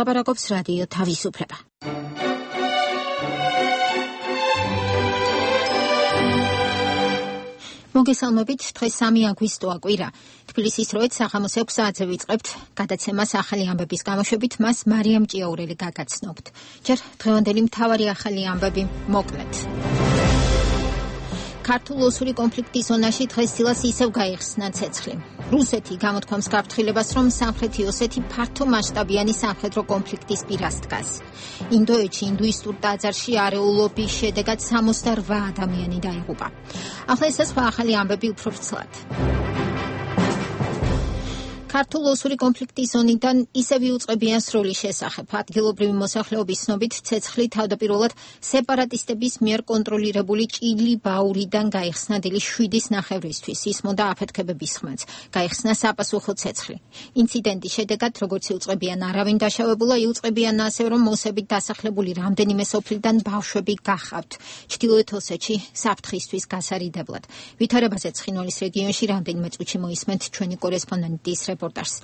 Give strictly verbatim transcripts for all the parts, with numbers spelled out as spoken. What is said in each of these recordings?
ლაპარაკობს რადიო თავისუფლება. მოგესალმებით, დღეს სამი აგვისტოა კვირა. თბილისის დროით საღამოს ექვსი საათზე ვიწყებთ გადაცემას ახალი ამბების გამოშვებით, მას მარიამ ჭიაურელი გაგაცნობთ. ჯერ დღევანდელი მთავარი ახალი ამბები მოკლედ. ქართულ-ოსური კონფლიქტის ზონაში დღესდილას ისევ გაიხსნა ცეცხლი. რუსეთი გამოთქვამს გაფრთხილებას, რომ სამხრეთი ოსეთი ფართო მასშტაბიანი სამხედრო კონფლიქტის პირას დგას. ინდოეთში ინდუისტურ ტაძარში არეულობის შედეგად სამოცდაორ ადამიანი დაიღუპა. ახლა ეს სხვა ახალი ამბები უფრო ვრცლად. ქართულ-ოსური კონფლიქტის ზონიდან ისევ იუწყებიან სროლის შესახებ. ადგილობრივი მოსახლეობის ცნობით, ცეცხლი თავდაპირველად სეპარატისტების მიერ კონტროლირებული ჭილი-ბაურიდან გაიხსნა დილის შვიდის ნახევრისთვის. ისმოდა აფეთქებების ხმაც. გაიხსნა საპასუხო ცეცხლი. ინციდენტის შედეგად, როგორც იუწყებიან, არავინ დაშავებულა, იუწყებიან ასევე, რომ მოსებით დასახლებული რამდენიმე სოფლიდან ბავშვები გახავთ. ჩრდილოეთ ოსეთში საფრთხისთვის გასარიდებლად. ვითარებაზე ცხინვალის რეგიონში რამდენიმე წუთში მოისმენთ ჩვენი კორესპონდენტის რეპორტაჟს.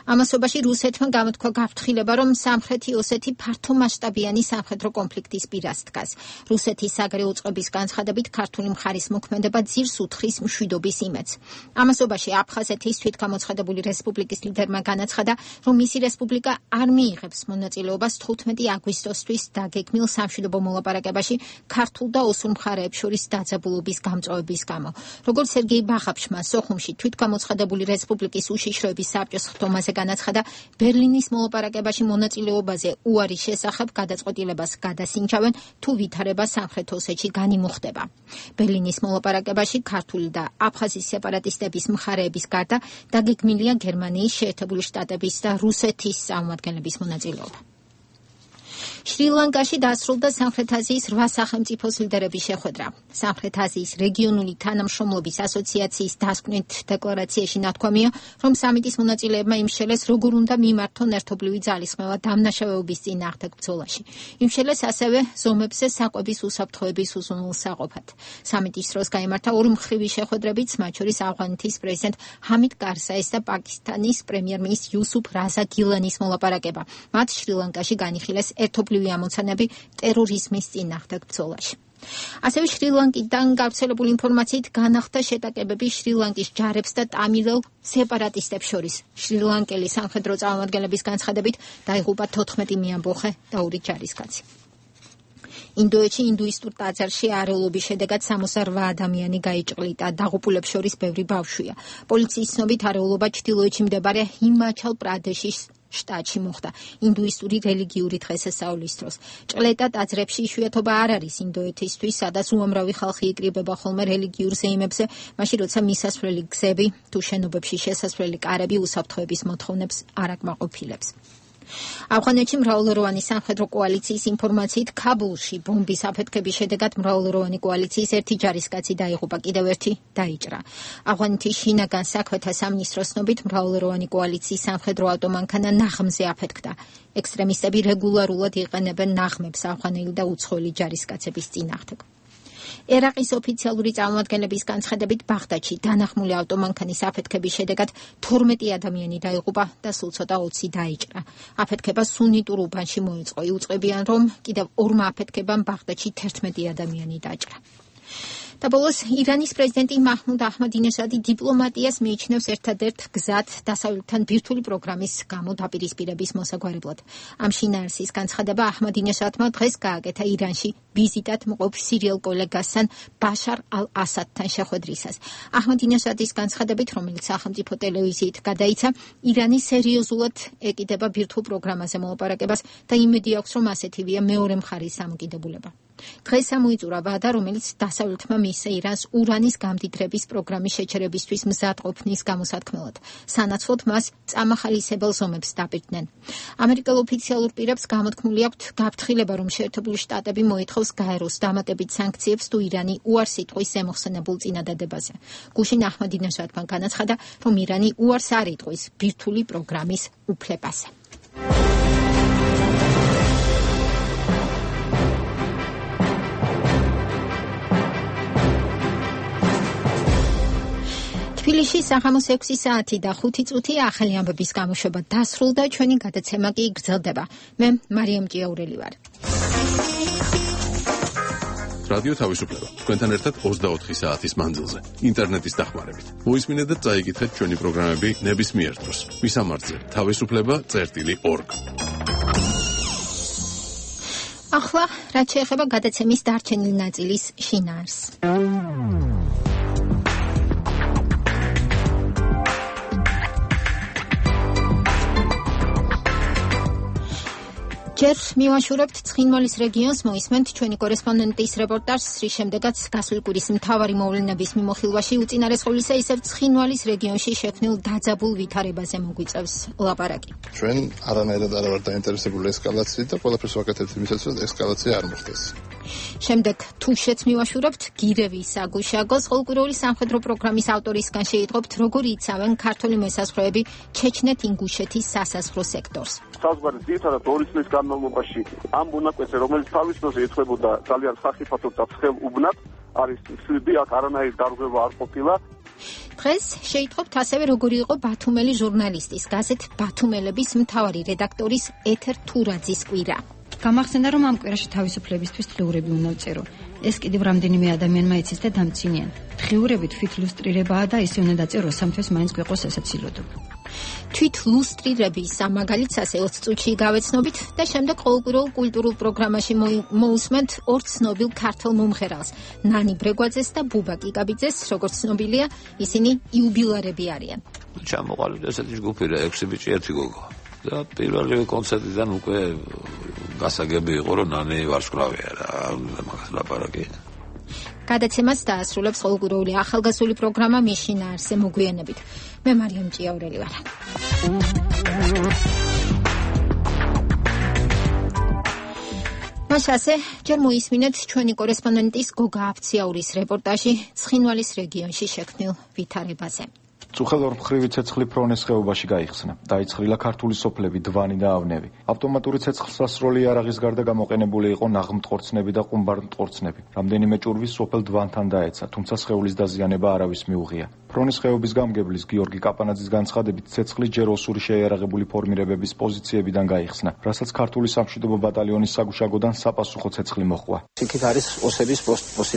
ამასობაში რუსეთმა გამოთქვა გაფრთხილება, რომ სამხრეთი ოსეთი ფართო მასშტაბიანი სამხედრო კონფლიქტის პირას დგას. რუსეთის საგარეო წყობის განცხადებით, ქართული მხარის მოქმედება ძირს უთხრის მშვიდობის იმედს. ამასობაში აფხაზეთის თვითგამოცხადებული რესპუბლიკის ლიდერმა განაცხადა, რომ მისი რესპუბლიკა არ მიიღებს მონაწილეობას თხუთმეტი აგვისტოსთვის დაგეგმილ სამშვიდობო მოლაპარაკებაში ქართულ და ოსურ მხარეებს შორის დაძაბულობის გამწვავების გამო. როგორც სერგეი ბახაფშმა სოხუმში თვითგამოცხადებული რესპუბლიკის უშიშროების საბჭოს ხდომაზე განაცხადა, ბერლინის მოლაპარაკებაში მონაწილეობაზე უარის შესახებ გადაწყვეტილებას გადასინჯავენ, თუ ვითარება სამხრეთ ოსეთში განიმუხდება. ბერლინის მოლაპარაკებაში ქართული და აფხაზის სეპარატისტების მხარეების გარდა დაგეგმილია გერმანიის, შეერთებული შტატების და რუსეთის წარმომადგენლების მონაწილეობა. შრი-ლანკაში დასრულდა სამხრეთ აზიის რვა სახელმწიფოს ლიდერების შეხვედრა. სამხრეთ აზიის რეგიონული თანამშრომლობის ასოციაციის დასკვნით დეკლარაციაში ნათქვამია, რომ სამიტის მონაწილეებმა იმშელეს, როგორ უნდა მიმართონ ერთობლივი ძალისხმევა დამნაშავეობის წინააღმდეგ ბრძოლაში. იმშელეს ასევე ზომებზე საკვების უსაფრთხოების უზრუნველსაყოფად. სამიტის დროს გაიმართა ორმხრივი შეხვედრებიც, მათ შორის ავღანეთის პრეზიდენტ ჰამიდ კარზაის და პაკისტანის პრემიერ-მინისტრ იუსუფ რაზა გილანის მოლაპარაკება. მათ შრი-ლანკაში განიხილეს ერთობლივი ამოცანები ტერორიზმის წინააღმდეგ ბრძოლაში. ასევე შრი-ლანკიდან გავრცელებული ინფორმაციით განახდა შეტაკებები შრი-ლანკის ჯარებს და ტამილელ სეპარატისტებს შორის. შრი-ლანკელი სამხედრო წარმომადგენლების განცხადებით დაიღუპა თოთხმეტი მეამბოხე და ორი ჯარისკაცი. ინდოეთში ინდუისტურ ტაძარში არეულობის შედეგად სამოცდაორ ადამიანი გაიჭყლიტა, დაღუპულებს შორის ბევრი ბავშვია. პოლიციის ცნობით არეულობა ჩრდილოეთში მდებარე ჰიმაჩალ პრადეშის შტატში მოხდა ინდუისტური რელიგიური დღესასწაულის დროს. ჭყლეტა ტაძრებში იშვიათობა არ არის ინდოეთისთვის, სადაც უამრავი ხალხი იკრიბება ხოლმე რელიგიურ ზეიმებზე, მაშინ როცა მისასვლელი გზები თუ შენობებში შესასვლელი კარები უსაფრთხოების მოთხოვნებს არ აკმაყოფილებს. ავღანეთში მრავალროვანი სამხედრო კოალიციის ინფორმაციით ქაბულში ბომბის აფეთქების შედეგად მრავალროვანი კოალიციის ერთი ჯარისკაცი დაიღუპა, კიდევ ერთი დაიჭრა. ავღანეთის შინაგან საქმეთა სამინისტროს ცნობით მრავალროვანი კოალიციის სამხედრო ავტომანქანა ნაღმზე აფეთქდა. ექსტრემისტები რეგულარულად იყენებენ ნაღმებს ავღანელი და უცხოელი ჯარისკაცების წინააღმდეგ. ერაყის ოფიციალური წარმომადგენლების განცხადებით, ბაღდადში დანახმული ავტომანქანის აფეთქების შედეგად თორმეტი ადამიანი დაიღუპა და სულ ცოტა ოცი დაიჭრა. აფეთქება სუნიტურ უბანში მოიწყო. იუწყებიან, რომ კიდევ ორმა აფეთქებამ ბაღდადში თერთმეტი ადამიანი დაჭრა. და ბოლოს ირანის პრეზიდენტი მაჰმუდ აჰმადინეჟადი დიპლომატიას მიიჩნევს ერთადერთ გზად დასავლეთთან ბირთვული პროგრამის გამო დაპირისპირების მოსაგვარებლად. ამ შინაარსის განცხადება აჰმადინეჟადმა დღეს გააკეთა ირანში ვიზიტად მყოფ სირიელ კოლეგასთან ბაშარ ალ-ასადთან შეხვედრისას. აჰმადინეჟადის განცხადებით, რომელიც სახელმწიფო ტელევიზიით გადაიცა, ირანი სერიოზულად ეკიდება ბირთვულ პროგრამაზე მოლაპარაკებას და იმედი აქვს, რომ ასეთივეა მეორე მხარის დამოკიდებულება. დღეს ამოიწურა ვადა, რომელიც დასავლეთმა მისცა ირანს ურანის გამდიდრების პროგრამის შეჩერებისთვის მზადყოფნის გამოსათქმელად. სანაცვლოდ მას წამახალისებელ ზომებს დაპირდნენ. ამერიკელ ოფიციალურ პირებს გამოთქმული აქვთ გაფრთხილება, რომ შეერთებული შტატები მოითხოვს გაეროს დამატებით სანქციებს თუ ირანი უარს იტყვის ზემოხსენებულ წინადადებაზე. გუშინ აჰმადინეჟადმა განაცხადა, რომ ირანი უარს არ იტყვის ბირთვული პროგრამის უფლებაზე. თბილისში საღამოს ექვსი საათი და ხუთი წუთი ახალი ამბების გამოშვება დასრულდა, ჩვენი გადაცემა კი გრძელდება. მე მარიამ ჭიაურელი ვარ. რადიო თავისუფლება თქვენთან ერთად ოცდაოთხი საათის მანძილზე ინტერნეტის დახმარებით. მოისმინეთ და წაიკითხეთ ჩვენი პროგრამები ნებისმიერ დროს. მისამართზე თავისუფლება წერტილი ორგ. ახლა რაც შეეხება გადაცემის დარჩენილი ნაწილის შინაარს. ჯერ მივაშურებთ ცხინვალის რეგიონს, მოისმენთ ჩვენი კორესპონდენტის რეპორტაჟს, რის შემდეგაც გასული კვირის მთავარი მოვლენების მიმოხილვაში უწინარეს ყოვლისა ისევ ცხინვალის რეგიონში შექმნილ დაძაბულ ვითარებაზე მოგვიწევს ლაპარაკი. ჩვენ არანაირად არ ვართ დაინტერესებული ესკალაციით და ყველაფერს ვაკეთებთ იმისათვის, რომ ესკალაცია არ მოხდეს. შემდეგ თუშეთს მივაშურებთ გირევის საგუშაგოს ყოველკვირეული სამხედრო პროგრამის ავტორისგან შეიტყობთ, როგორ იცავენ ქართული მოსაზღვრეები ჩეჩნეთ-ინგუშეთის სასაზღვრო სექტორს. საზღვარი ძირითადად ორი წლის განმავლობაში ამ მონაკვეთზე, რომელიც თავის დროზე ეთქვებოდა ძალიან სახიფათოდ და ცხელ უბნად, არის შვიდი, აქ არანაირი დარღვევა არ ყოფილა. დღეს შეიტყობთ ასევე, როგორი იყო ბათუმელი ჟურნალისტის, გაზეთ ბათუმელების მთავარი რედაქტორის ეთერ თურაძის კვირა. გამახსენდა, რომ ამ კვირაში თავისუფლებისთვის დღიურები უნდა ვწერო. ეს კიდევ რამდენიმე ადამიანმა იცის და დამცინიან. დღიურები თვით ლუსტრირებაა და ისე უნდა დაწერო, სამთვეს მაინც გვეყოს სასაცილოდო. თვით ლუსტრირების სამაგალითს ასე ოც წუთში გავეცნობით და შემდეგ ყოველკვირეულ კულტურულ პროგრამაში მოусმენთ ორ ცნობილ ქართულ მომღერალს, ნანი ბრეგვაძეს და ბუბა კიკაბიძეს, როგორც ცნობილია, ისინი იუბილარები არიან. ჩამოყალიბდა ესეთი ჯგუფი რა ექვსი ბიჭი ერთი გოგო. და პირველი კონცერტიდან უკვე გასაგები იყო, რომ ნანი ვარსკვლავია რა, მაგას ლაპარაკი. გადაცემას დაასრულებს ყოველკვირეული ახალგაზრდული პროგრამა მის შინაარსზე მოგვიანებით. მე მარიამ ჭიაურელი ვარ. მასაზე ჯერ მოისმინეთ ჩვენი კორესპონდენტის გოგა აფციაურის რეპორტაჟი ცხინვალის რეგიონში შექმნილ ვითარებაზე. წუხელორმხრივი ცეცხლი ფრონეს ხეობაში გაიხსნა. დაიცხრილა ქართული სოფლები, დვანი და ავნევი. ავტომატური ცეცხლსასროლი იარაღის გარდა გამოყენებული იყო ნაღმტყორცნები და ყუმბარმტყორცნები. რამდენიმე ჭურვი სოფელ დვანთან დაეცა, თუმცა სხეულის დაზიანება არავის მიუღია. ფრონის ხეობის გამგებლის გიორგი კაპანაძის განცხადებით, ცეცხლი ჯერ ოსური შეიარაღებული ფორმირებების პოზიციებიდან გაიხსნა, რასაც ქართული სამშვიდობო ბატალიონის საგუშაგოდან საპასუხო ცეცხლი მოჰყვა. იქით არის ოსების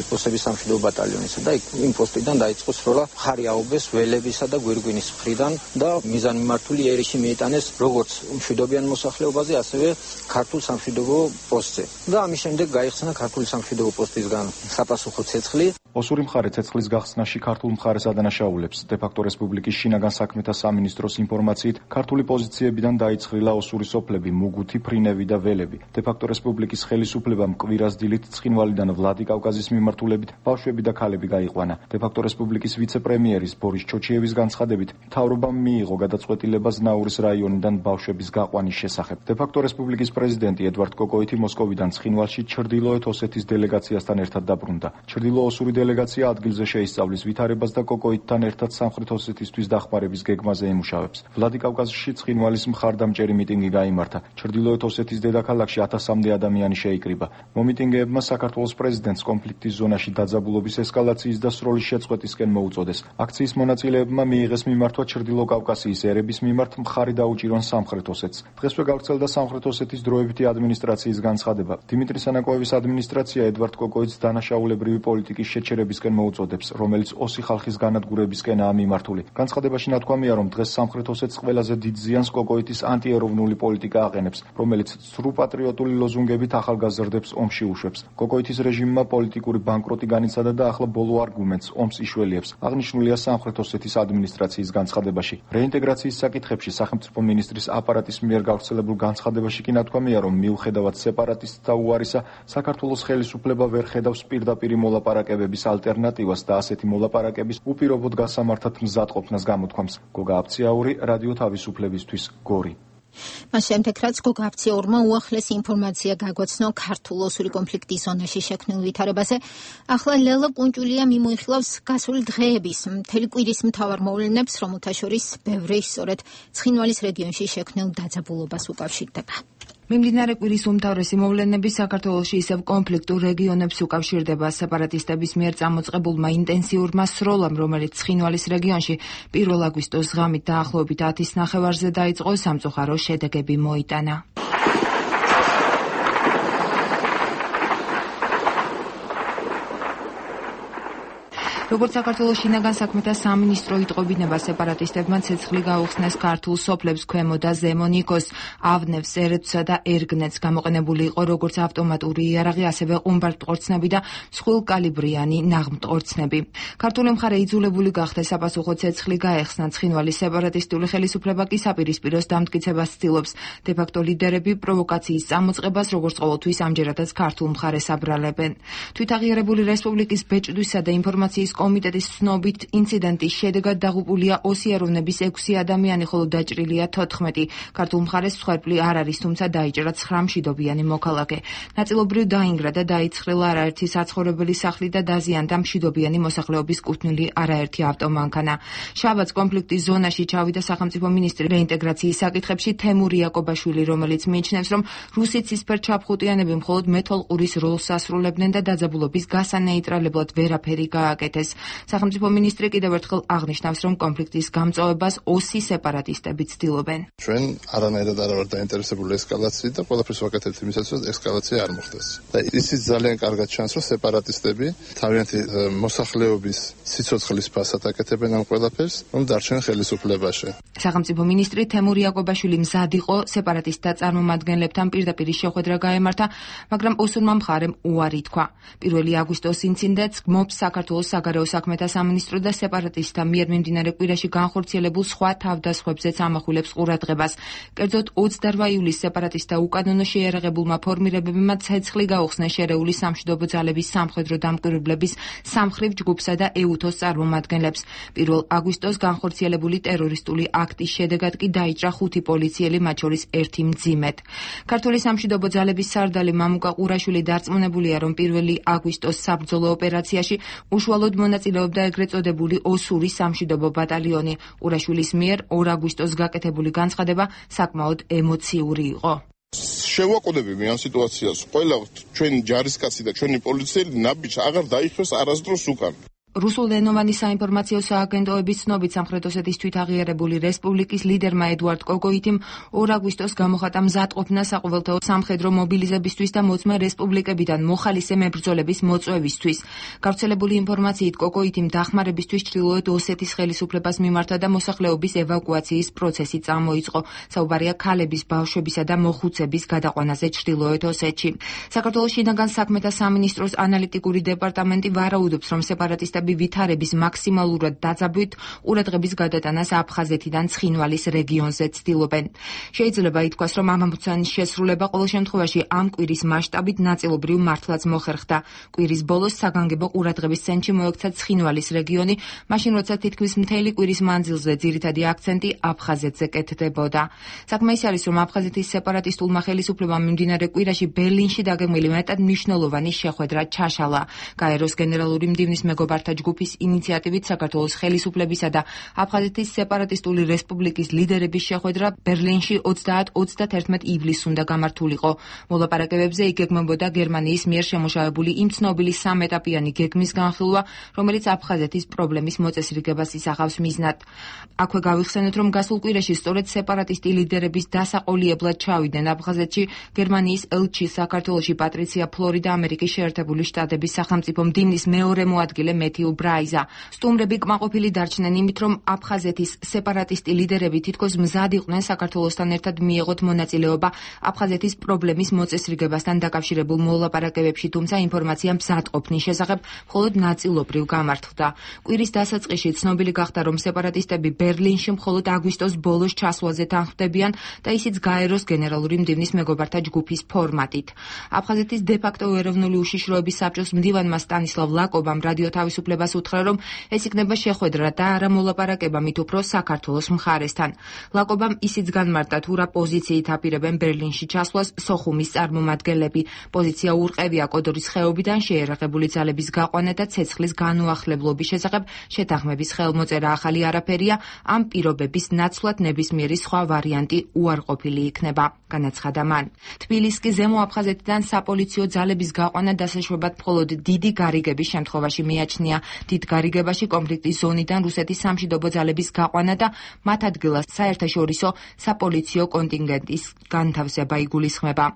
პოსტების სამშვიდობო ბატალიონისა და იმ პოსტიდან დაიწყო სროლა ხარი აუბეს ველებისა და გვირგვინის მხრიდან და მიზანმიმართული ერიში მიიტანეს როგორც მშვიდობიან მოსახლეობაზე, ასევე ქართულ სამშვიდობო პოსტზე. და ამის შემდეგ გაიხსნა ქართული სამშვიდობო პოსტისგან საპასუხო ცეცხლი. ოსური მხარე ცეცხლის გახსნაში ქართულ მხარეს ადანაშაულებს. დე-ფაქტო რესპუბლიკის შინაგან საქმეთა სამინისტროს ინფორმაციით, ქართული პოზიციებიდან დაიცხრილა ოსური სოფლები, მუგუთი, ფრინევი და ველები. დე-ფაქტო რესპუბლიკის ხელისუფლებამ კვირას დილით ცხინვალიდან ვლადიკავკაზის მიმართულებით ბავშვები და ქალები გაიყვანა. დე-ფაქტო რესპუბლიკის ვიცე-პრემიერის ბორის ჩოჩიევის განცხადებით, მთავრობამ მიიღო გადაწყვეტილება ზნაურის რაიონიდან ბავშვების გაყვანის შესახებ. დე-ფაქტო რესპუბლიკის პრეზიდენტი ედვარდ კოკოიტი მოსკოვიდან ცხინვალში ჩრდილოეთ ოსეთის დელეგაციასთან ერთად დაბრუნდა. ჩრდილო-ოსური დელეგაცია ადგილზე შეისწავლის ვითარებას და კოკოიტთან ერთად სამხრეთ ოსეთისთვის დახმარების გეგმაზე ემუშავებს. ვლადიკავკაზში ცხინვალის მხარდამჭერი მიტინგი გაიმართა. ჩრდილოეთ ოსეთის დედაქალაქში ათასამდე ადამიანი შეიკრიბა. მომიტინგეებმა საქართველოს პრეზიდენტს კონფლიქტის ზონაში დაძაბულობის ესკალაციის და სროლის შეწყვეტისკენ მოუწოდეს. აქციის მონაწილეებმა მიიღეს მიმართვა ჩრდილო-კავკასიის ერების მიმართ მხარი დაუჭირონ სამხრეთ ოსეთს. დღესვე გავრცელდა სამხრეთ ოსეთის დროებითი ადმინისტრაციის განცხადება. დიმიტრი სანაკოევის ადმინისტრაცია ედვარდ კოკოიტს დანაშაულებრივი პოლიტიკის შეჩერებისკენ მოუწოდებს, რომელიც ოსი ხალხის განადგურებისკენაა მიმართული. განცხადებაში ნათქვამია, რომ დღეს სამხრეთ ოსეთს ყველაზე დიდ ზიანს კოკოიტის ანტიეროვნული პოლიტიკა აყენებს, რომელიც სრუ პატრიოტული ლოზუნგებით ახალგაზრდებს ომში უშვებს. კოკოიტის რეჟიმმა პოლიტიკური ბანკროტი განიცადა და ახლა ბოლო არგუმენტს ომს იშველიებს. აღნიშნულია სამხრეთ ოსეთის ადმინისტრაციის განცხადებაში. რეინტეგრაციის საკითხებში სახელმწიფო მინისტრის აპარატის მიერ გავრცელებულ განცხადებაში კი ნათქვამია, რომ მიუხედავად სეპარატისტთა უარისა, საქართველოს ხელისუფლება ვერ ხედავს პირდაპირი მოლაპარაკებების ალტერნატივას და ასეთი მოლაპარაკების უპირობოდ გასამართად მზადყოფნას გამოთქვამს. გოგა აფციაური, რადიო თავისუფლებისთვის, გორი. მას შემდეგ რაც გოგა აფციაურმა უახლესი ინფორმაცია გაგვაცნო ქართულ-ოსური კონფლიქტის ზონაში შექმნილ ვითარებაზე, ახლა ლელა კუნჭულია მიმოიხილავს გასული დღეების მთელი კვირის მთავარ მოვლენებს, რომელთა შორის ბევრი სწორედ ცხინვალის რეგიონში შექმნილ დაძაბულობას უკავშირდება. მიმდინარე კვირის უმთავრესი მოვლენები საქართველოში ისევ კონფლიქტურ რეგიონებს უკავშირდება სეპარატისტების მიერ წამოწყებულმა ინტენსიურმა სროლამ, რომელიც ცხინვალის რეგიონში პირველ აგვისტოს ღამით დაახლოებით ათის ნახევარზე დაიწყო, სამწუხარო შედეგები მოიტანა. როგორც საქართველოს შინაგან საქმეთა სამინისტრო იტყობინება, სეპარატისტებმა ცეცხლი გაუხსნეს ქართულ სოფლებს ქვემო და ზემო ნიქოს, ავნევს, ერეთსა და ერგნეთს. გამოყენებული იყო როგორც ავტომატური იარაღი, ასევე ყუმბართმტყორცნები და მსხვილკალიბრიანი ნაღმტყორცნები. ქართული მხარე იძულებული გახდა საპასუხო ცეცხლი გაეხსნა. ცხინვალის სეპარატისტული ხელისუფლება კი საპირისპიროს დამტკიცებას ცდილობს. დე-ფაქტო ლიდერები პროვოკაციის წამოწყებას, როგორც ყოველთვის, ამჯერადაც ქართულ მხარეს აბრალებენ. თვითაღიარებული რესპუბლიკის ბეჭდვისა და ინფორმაციის კომიტეტის ცნობით, ინციდენტის შედეგად დაღუპულია ოსიაროვნების ექვსი ადამიანი, ხოლო დაჭრილია თოთხმეტი. ქართულ მხარეს მსხვერპლი არ არის, თუმცა დაიჭრა ცხრა მშვიდობიანი მოქალაქე. ნაწილობრივ დაინგრა და დაიცხრილა არაერთი საცხოვრებელი სახლი და დაზიანდა მშვიდობიანი მოსახლეობის კუთვნილი არაერთი ავტომანქანა. შაბათს კონფლიქტის ზონაში ჩავიდა სახელმწიფო მინისტრი რეინტეგრაციის საკითხებში თემურ იაკობაშვილი, რომელიც მიიჩნევს, რომ რუსი ცისფერჩაფხუტიანები მხოლოდ მეთვალყურის როლს ასრულებდნენ და დაძაბულობის გასანეიტრალებლად ვერაფერი გააკეთეს. სახელმწიფო მინისტრი კიდევ ერთხელ აღნიშნავს, რომ კონფლიქტის გამწვავებას ოსი სეპარატისტები ცდილობენ. ჩვენ არანაირად არ ვართ დაინტერესებული ესკალაციით და ყველაფერს ვაკეთებთ იმისათვის, რომ ესკალაცია არ მოხდეს. და ისიც ძალიან კარგად ჩანს, რომ სეპარატისტები თავიანთი მოსახლეობის სიცოცხლის ფასად აკეთებენ ამ ყველაფერს, რომ დარჩენ ხელისუფლებაში. სახელმწიფო მინისტრი თემურ იაკობაშვილი მზად იყო სეპარატისტთა წარმომადგენლებთან პირდაპირ შეხვედრა გაემართა, მაგრამ ოსურმა მხარემ უარი თქვა. პირველი აგვისტოს ინციდენტს გმობს საქართველოს საგარეო საქმეთა სამინისტრო და სეპარატისტთა მიერ მიმდინარე კვირაში განხორციელებულ სხვა თავდასხმებზეც ამახვილებს ყურადღებას. კერძოდ ოცდაოთხ ივლისს სეპარატისტთა უკანონო შეიარაღებულმა ფორმირებებმა ცეცხლი გაუხსნეს შერეული სამშვიდობო ძალების სამხედრო დამკვირვებლების სამხრივ ჯგუფსა და ეუთოს წარმომადგენლებს. პირველ აგვისტოს განხორციელებული ტერორისტული აქტის შედეგად კი დაიჭრა ხუთი პოლიციელი, მათ შორის ერთი მძიმედ. ქართული სამშვიდობო ძალების სარდალი მამუკა ყურაშვილი დარწმუნებულია, რომ პირველი აგვისტოს საბრძოლო ოპერაციაში უშუალოდ მონაწილეობდა ეგრეთ წოდებული ოსური სამშვიდობო ბატალიონი. ყურაშვილის მიერ ორ აგვისტოს გაკეთებული განცხადება საკმაოდ ემოციური იყო. შევაკვდებები ამ სიტუაციას. ყველა ჩვენი ჯარისკაცი და ჩვენი პოლიციელი ნაბიჯს აღარ დაიხევს არასდროს უკან. რუსულენოვანი საინფორმაციო სააგენტოების ცნობით, სამხრეთ ოსეთის თვითაღიარებული რესპუბლიკის ლიდერმა ედუარდ კოკოიტიმ ორ აგვისტოს გამოხატა მზადყოფნა საყოველთაო სამხედრო მობილიზებისთვის და მოწმე რესპუბლიკებიდან მოხალისე მებრძოლების მოწვევისთვის. გავრცელებული ინფორმაციით, კოკოიტიმ დახმარებისთვის ჩრდილოეთ ოსეთის ხელისუფლებას მიმართა და მოსახლეობის ევაკუაციის პროცესი წამოიწყო. საუბარია ქალების, ბავშვებისა და მოხუცების გადაყვანაზე ჩრდილოეთ ოსეთში. საქართველოს შინაგან საქმეთა სამინისტროს ანალიტიკური დეპარტამენტი ვარაუდობს, რომ სეპარატისტები ვითარების მაქსიმალურად დაძაბვით ყურადღების გადატანას აფხაზეთიდან ცხინვალის რეგიონზე ცდილობენ. შეიძლება ითქვას, რომ ამ ამოცანის შესრულება ყოველ შემთხვევაში ამ კვირის მასშტაბით ნაწილობრივ მართლაც მოხერხდა. კვირის ბოლოს საგანგებო ყურადღების ცენტრში მოექცა ცხინვალის რეგიონი, მაშინ როცა თითქმის მთელი კვირის მანძილზე ძირითადი აქცენტი აფხაზეთზე კეთდებოდა. საქმე ის არის, რომ აფხაზეთის სეპარატისტულმა ხელისუფლებამ მიმდინარე კვირაში ბერლინში დაგეგმილი მეტად მნიშვნელოვანი შეხვედრა ჩაშალა. გაეროს გენერალური მდივნის მეგობართა ჯგუფის ინიციატივით საქართველოს ხელისუფლებისა და აფხაზეთის სეპარატისტული რესპუბლიკის ლიდერების შეხვედრა ბერლინში ოცდაათ ოცდაათი ივლისს უნდა გამართულიყო. მოლაპარაკებებზე იგეგმებოდა გერმანიის მიერ შემოშავებული იმ ცნობილი სამეტაპიანი გეგმის განხილვა, რომელიც აფხაზეთის პრობლემის მოწესრიგებას ისახავს მიზნად. აქვე გავიხსენოთ, რომ გასულ კვირაში სწორედ სეპარატისტი ლიდერების დასაყოლიებლად ჩავიდნენ აფხაზეთში გერმანიის ელჩი საქართველოში პატრიცია ფლორი და ამერიკის შეერთებული შტატების სახელმწიფო მდივნის მეორე მოადგილე მეთიუ ბრაიზა. სტუმრები კმაყოფილი დარჩნენ იმით, რომ აფხაზეთის სეპარატისტი ლიდერები თითქოს მზად იყვნენ საქართველოსთან ერთად მიეღოთ მონაწილეობა აფხაზეთის პრობლემის მოწესრიგებასთან დაკავშირებულ მოლაპარაკებებში, თუმცა ინფორმაცია მზადყოფნის შესახებ მხოლოდ ნაწილობრივ გამართლდა. კვირის დასაწყისში ცნობილი გახდა, რომ სეპარატისტები ბერლინში მხოლოდ აგვისტოს ბოლოს ჩასვლაზე თანხმდებიან და ისიც გაეროს გენერალური მდივნის მეგობართა ჯგუფის ფორმატით. აფხაზეთის დე-ფაქტო ეროვნული უშიშროების საბჭოს მდივანმა სტანისლავ ლაკობამ რადიო თავისუფლება ხელისუფლებას უთხრა, რომ ეს იქნება შეხვედრა და არა მოლაპარაკება მით უფრო საქართველოს მხარესთან. ლაკობამ ისიც განმარტა, თუ რა პოზიციით აპირებენ ბერლინში ჩასვლას სოხუმის წარმომადგენლები. პოზიცია ურყევია კოდორის ხეობიდან შეერაღებული ძალების გაყვანა და ცეცხლის განუახლებლობის შესახებ შეთანხმების ხელმოწერა ახალი არაფერია, ამ პირობების ნაცვლად ნებისმიერი სხვა ვარიანტი უარყოფილი იქნება, განაცხადა მან. თბილისის ზემო აფხაზეთიდან საპოლიციო ძალების გაყვანა დასაშვებად მხოლოდ დიდი გარიგების შემთხვევაში მიაჩნია. დიდ გარიგებაში კონფლიქტის ზონიდან რუსეთის სამშვიდობო ძალების გაყვანა და მათ ადგილას საერთაშორისო საპოლიციო კონტინგენტის განთავსება იგულისხმება.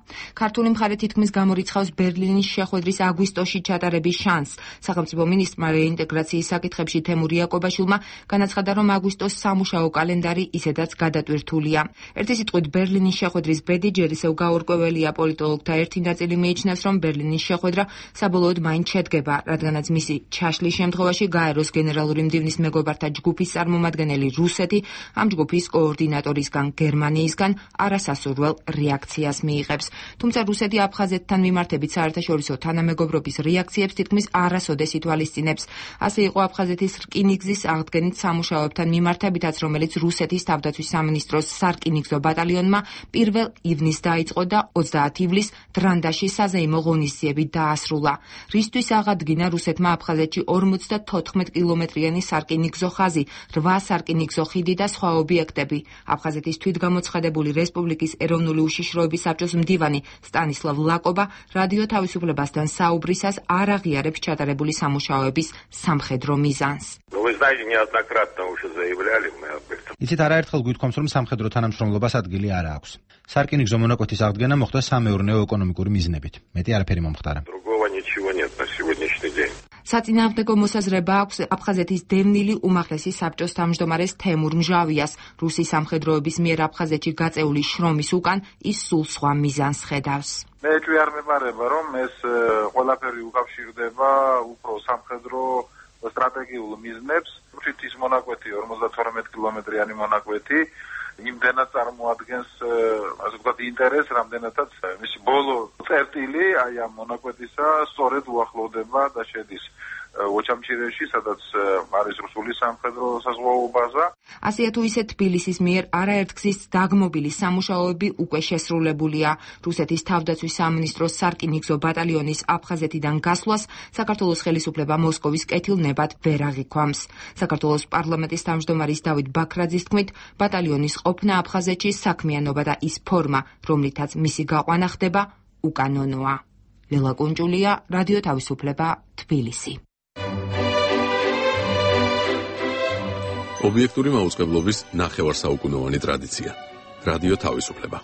ქართული მხარე თითქმის გამორიცხავს ბერლინის შეხვედრის აგვისტოში ჩატარების შანსს. სახელმწიფო მინისტრმა რეინტეგრაციის საკითხებში თემურ იაკობაშვილმა განაცხადა, რომ აგვისტოს სამუშაო კალენდარი ისედაც გადატვირთულია. ერთი სიტყვით, ბერლინის შეხვედრის ბედი ჯერ ისევ გაურკვეველია. პოლიტოლოგთა ერთი ნაწილი მიიჩნევს, რომ ბერლინის შეხვედრა საბოლოოდ მაინც შედგება, რადგანაც მისი ჩაშლის შემთხვევაში გაეროს გენერალური მდივნის მეგობართა ჯგუფის წარმომადგენელი რუსეთი ამ ჯგუფის კოორდინატორისგან გერმანიისგან არასასურველ რეაქციას მიიღებს. თუმცა რუსეთი აფხაზეთთან მიმართებით საერთაშორისო თანამეგობრობის რეაქციებს თითქმის არასოდეს ითვალისწინებს. ასე იყო აფხაზეთის რკინიგზის აღდგენით სამუშაოებთან მიმართებითაც, რომელიც რუსეთის თავდაცვის სამინისტროს სარკინიგზო ბატალიონმა პირველ ივნისს დაიწყო და ოცდაათი ივლისს დრანდაში საზეიმო ღონისძიებით დაასრულა. რისთვის აღადგინა რუსეთმა აფხაზეთში ორმოცდათოთხმეტ კილომეტრიანი სარკინიგზო ხაზი, რვა სარკინიგზო ხიდი და სხვა ობიექტები. აფხაზეთის თვითგამოცხადებული რესპუბლიკის ეროვნული უშიშროების საბჭოს მდივანი სტანისლავ ლაკობა რადიო თავისუფლებასთან საუბრისას არ აღიარებს ჩატარებული სამუშაოების სამხედრო მიზანს. იცით, არაერთხელ გვითქვამს, რომ სამხედრო თანამშრომლობას ადგილი არ აქვს. სარკინიგზო მონაკვეთის აღდგენა მოხდა სამეურნეო ეკონომიკური მიზნებით. მეტი არაფერი მომხდარა. საწინააღმდეგო მოსაზრება აქვს აფხაზეთის დევნილი უმაღლესი საბჭოს თავმჯდომარეს თემურ მჟავიას. რუსი სამხედროების მიერ აფხაზეთში გაწეული შრომის უკან ის სულ სხვა მიზანს ხედავს. მე ეჭვი არ მეპარება, რომ ეს ყველაფერი უკავშირდება უფრო სამხედრო სტრატეგიულ მიზნებს. თვითის მონაკვეთი ორმოცდათორმეტ კილომეტრიანი მონაკვეთი იმდენად წარმოადგენს, ასე ვთქვათ, ინტერესს, რამდენადაც მისი ბოლო წერტილი აი ამ მონაკვეთისა სწორედ უახლოვდება და შედის ოჩამჩირეში, სადაც არის რუსული სამხედრო საზღვაო ბაზა. ასეა თუ ისე თბილისის მიერ არაერთგზის დაგმობილი სამუშაოები უკვე შესრულებულია. რუსეთის თავდაცვის სამინისტროს სარკინიგზო ბატალიონის აფხაზეთიდან გასვლას საქართველოს ხელისუფლება მოსკოვის კეთილნებად ვერ აღიქვამს. საქართველოს პარლამენტის თავმჯდომარის დავით ბაქრაძის თქმით, ბატალიონის ყოფნა აფხაზეთში საქმიანობა და ის ფორმა, რომლითაც მისი გაყვანა ხდება, უკანონოა. ლელა კუნჭულია, რადიო თავისუფლება, თბილისი. ობიექტური მაუწყებლობის ნახევარსაუკუნოვანი ტრადიცია. რადიო თავისუფლება.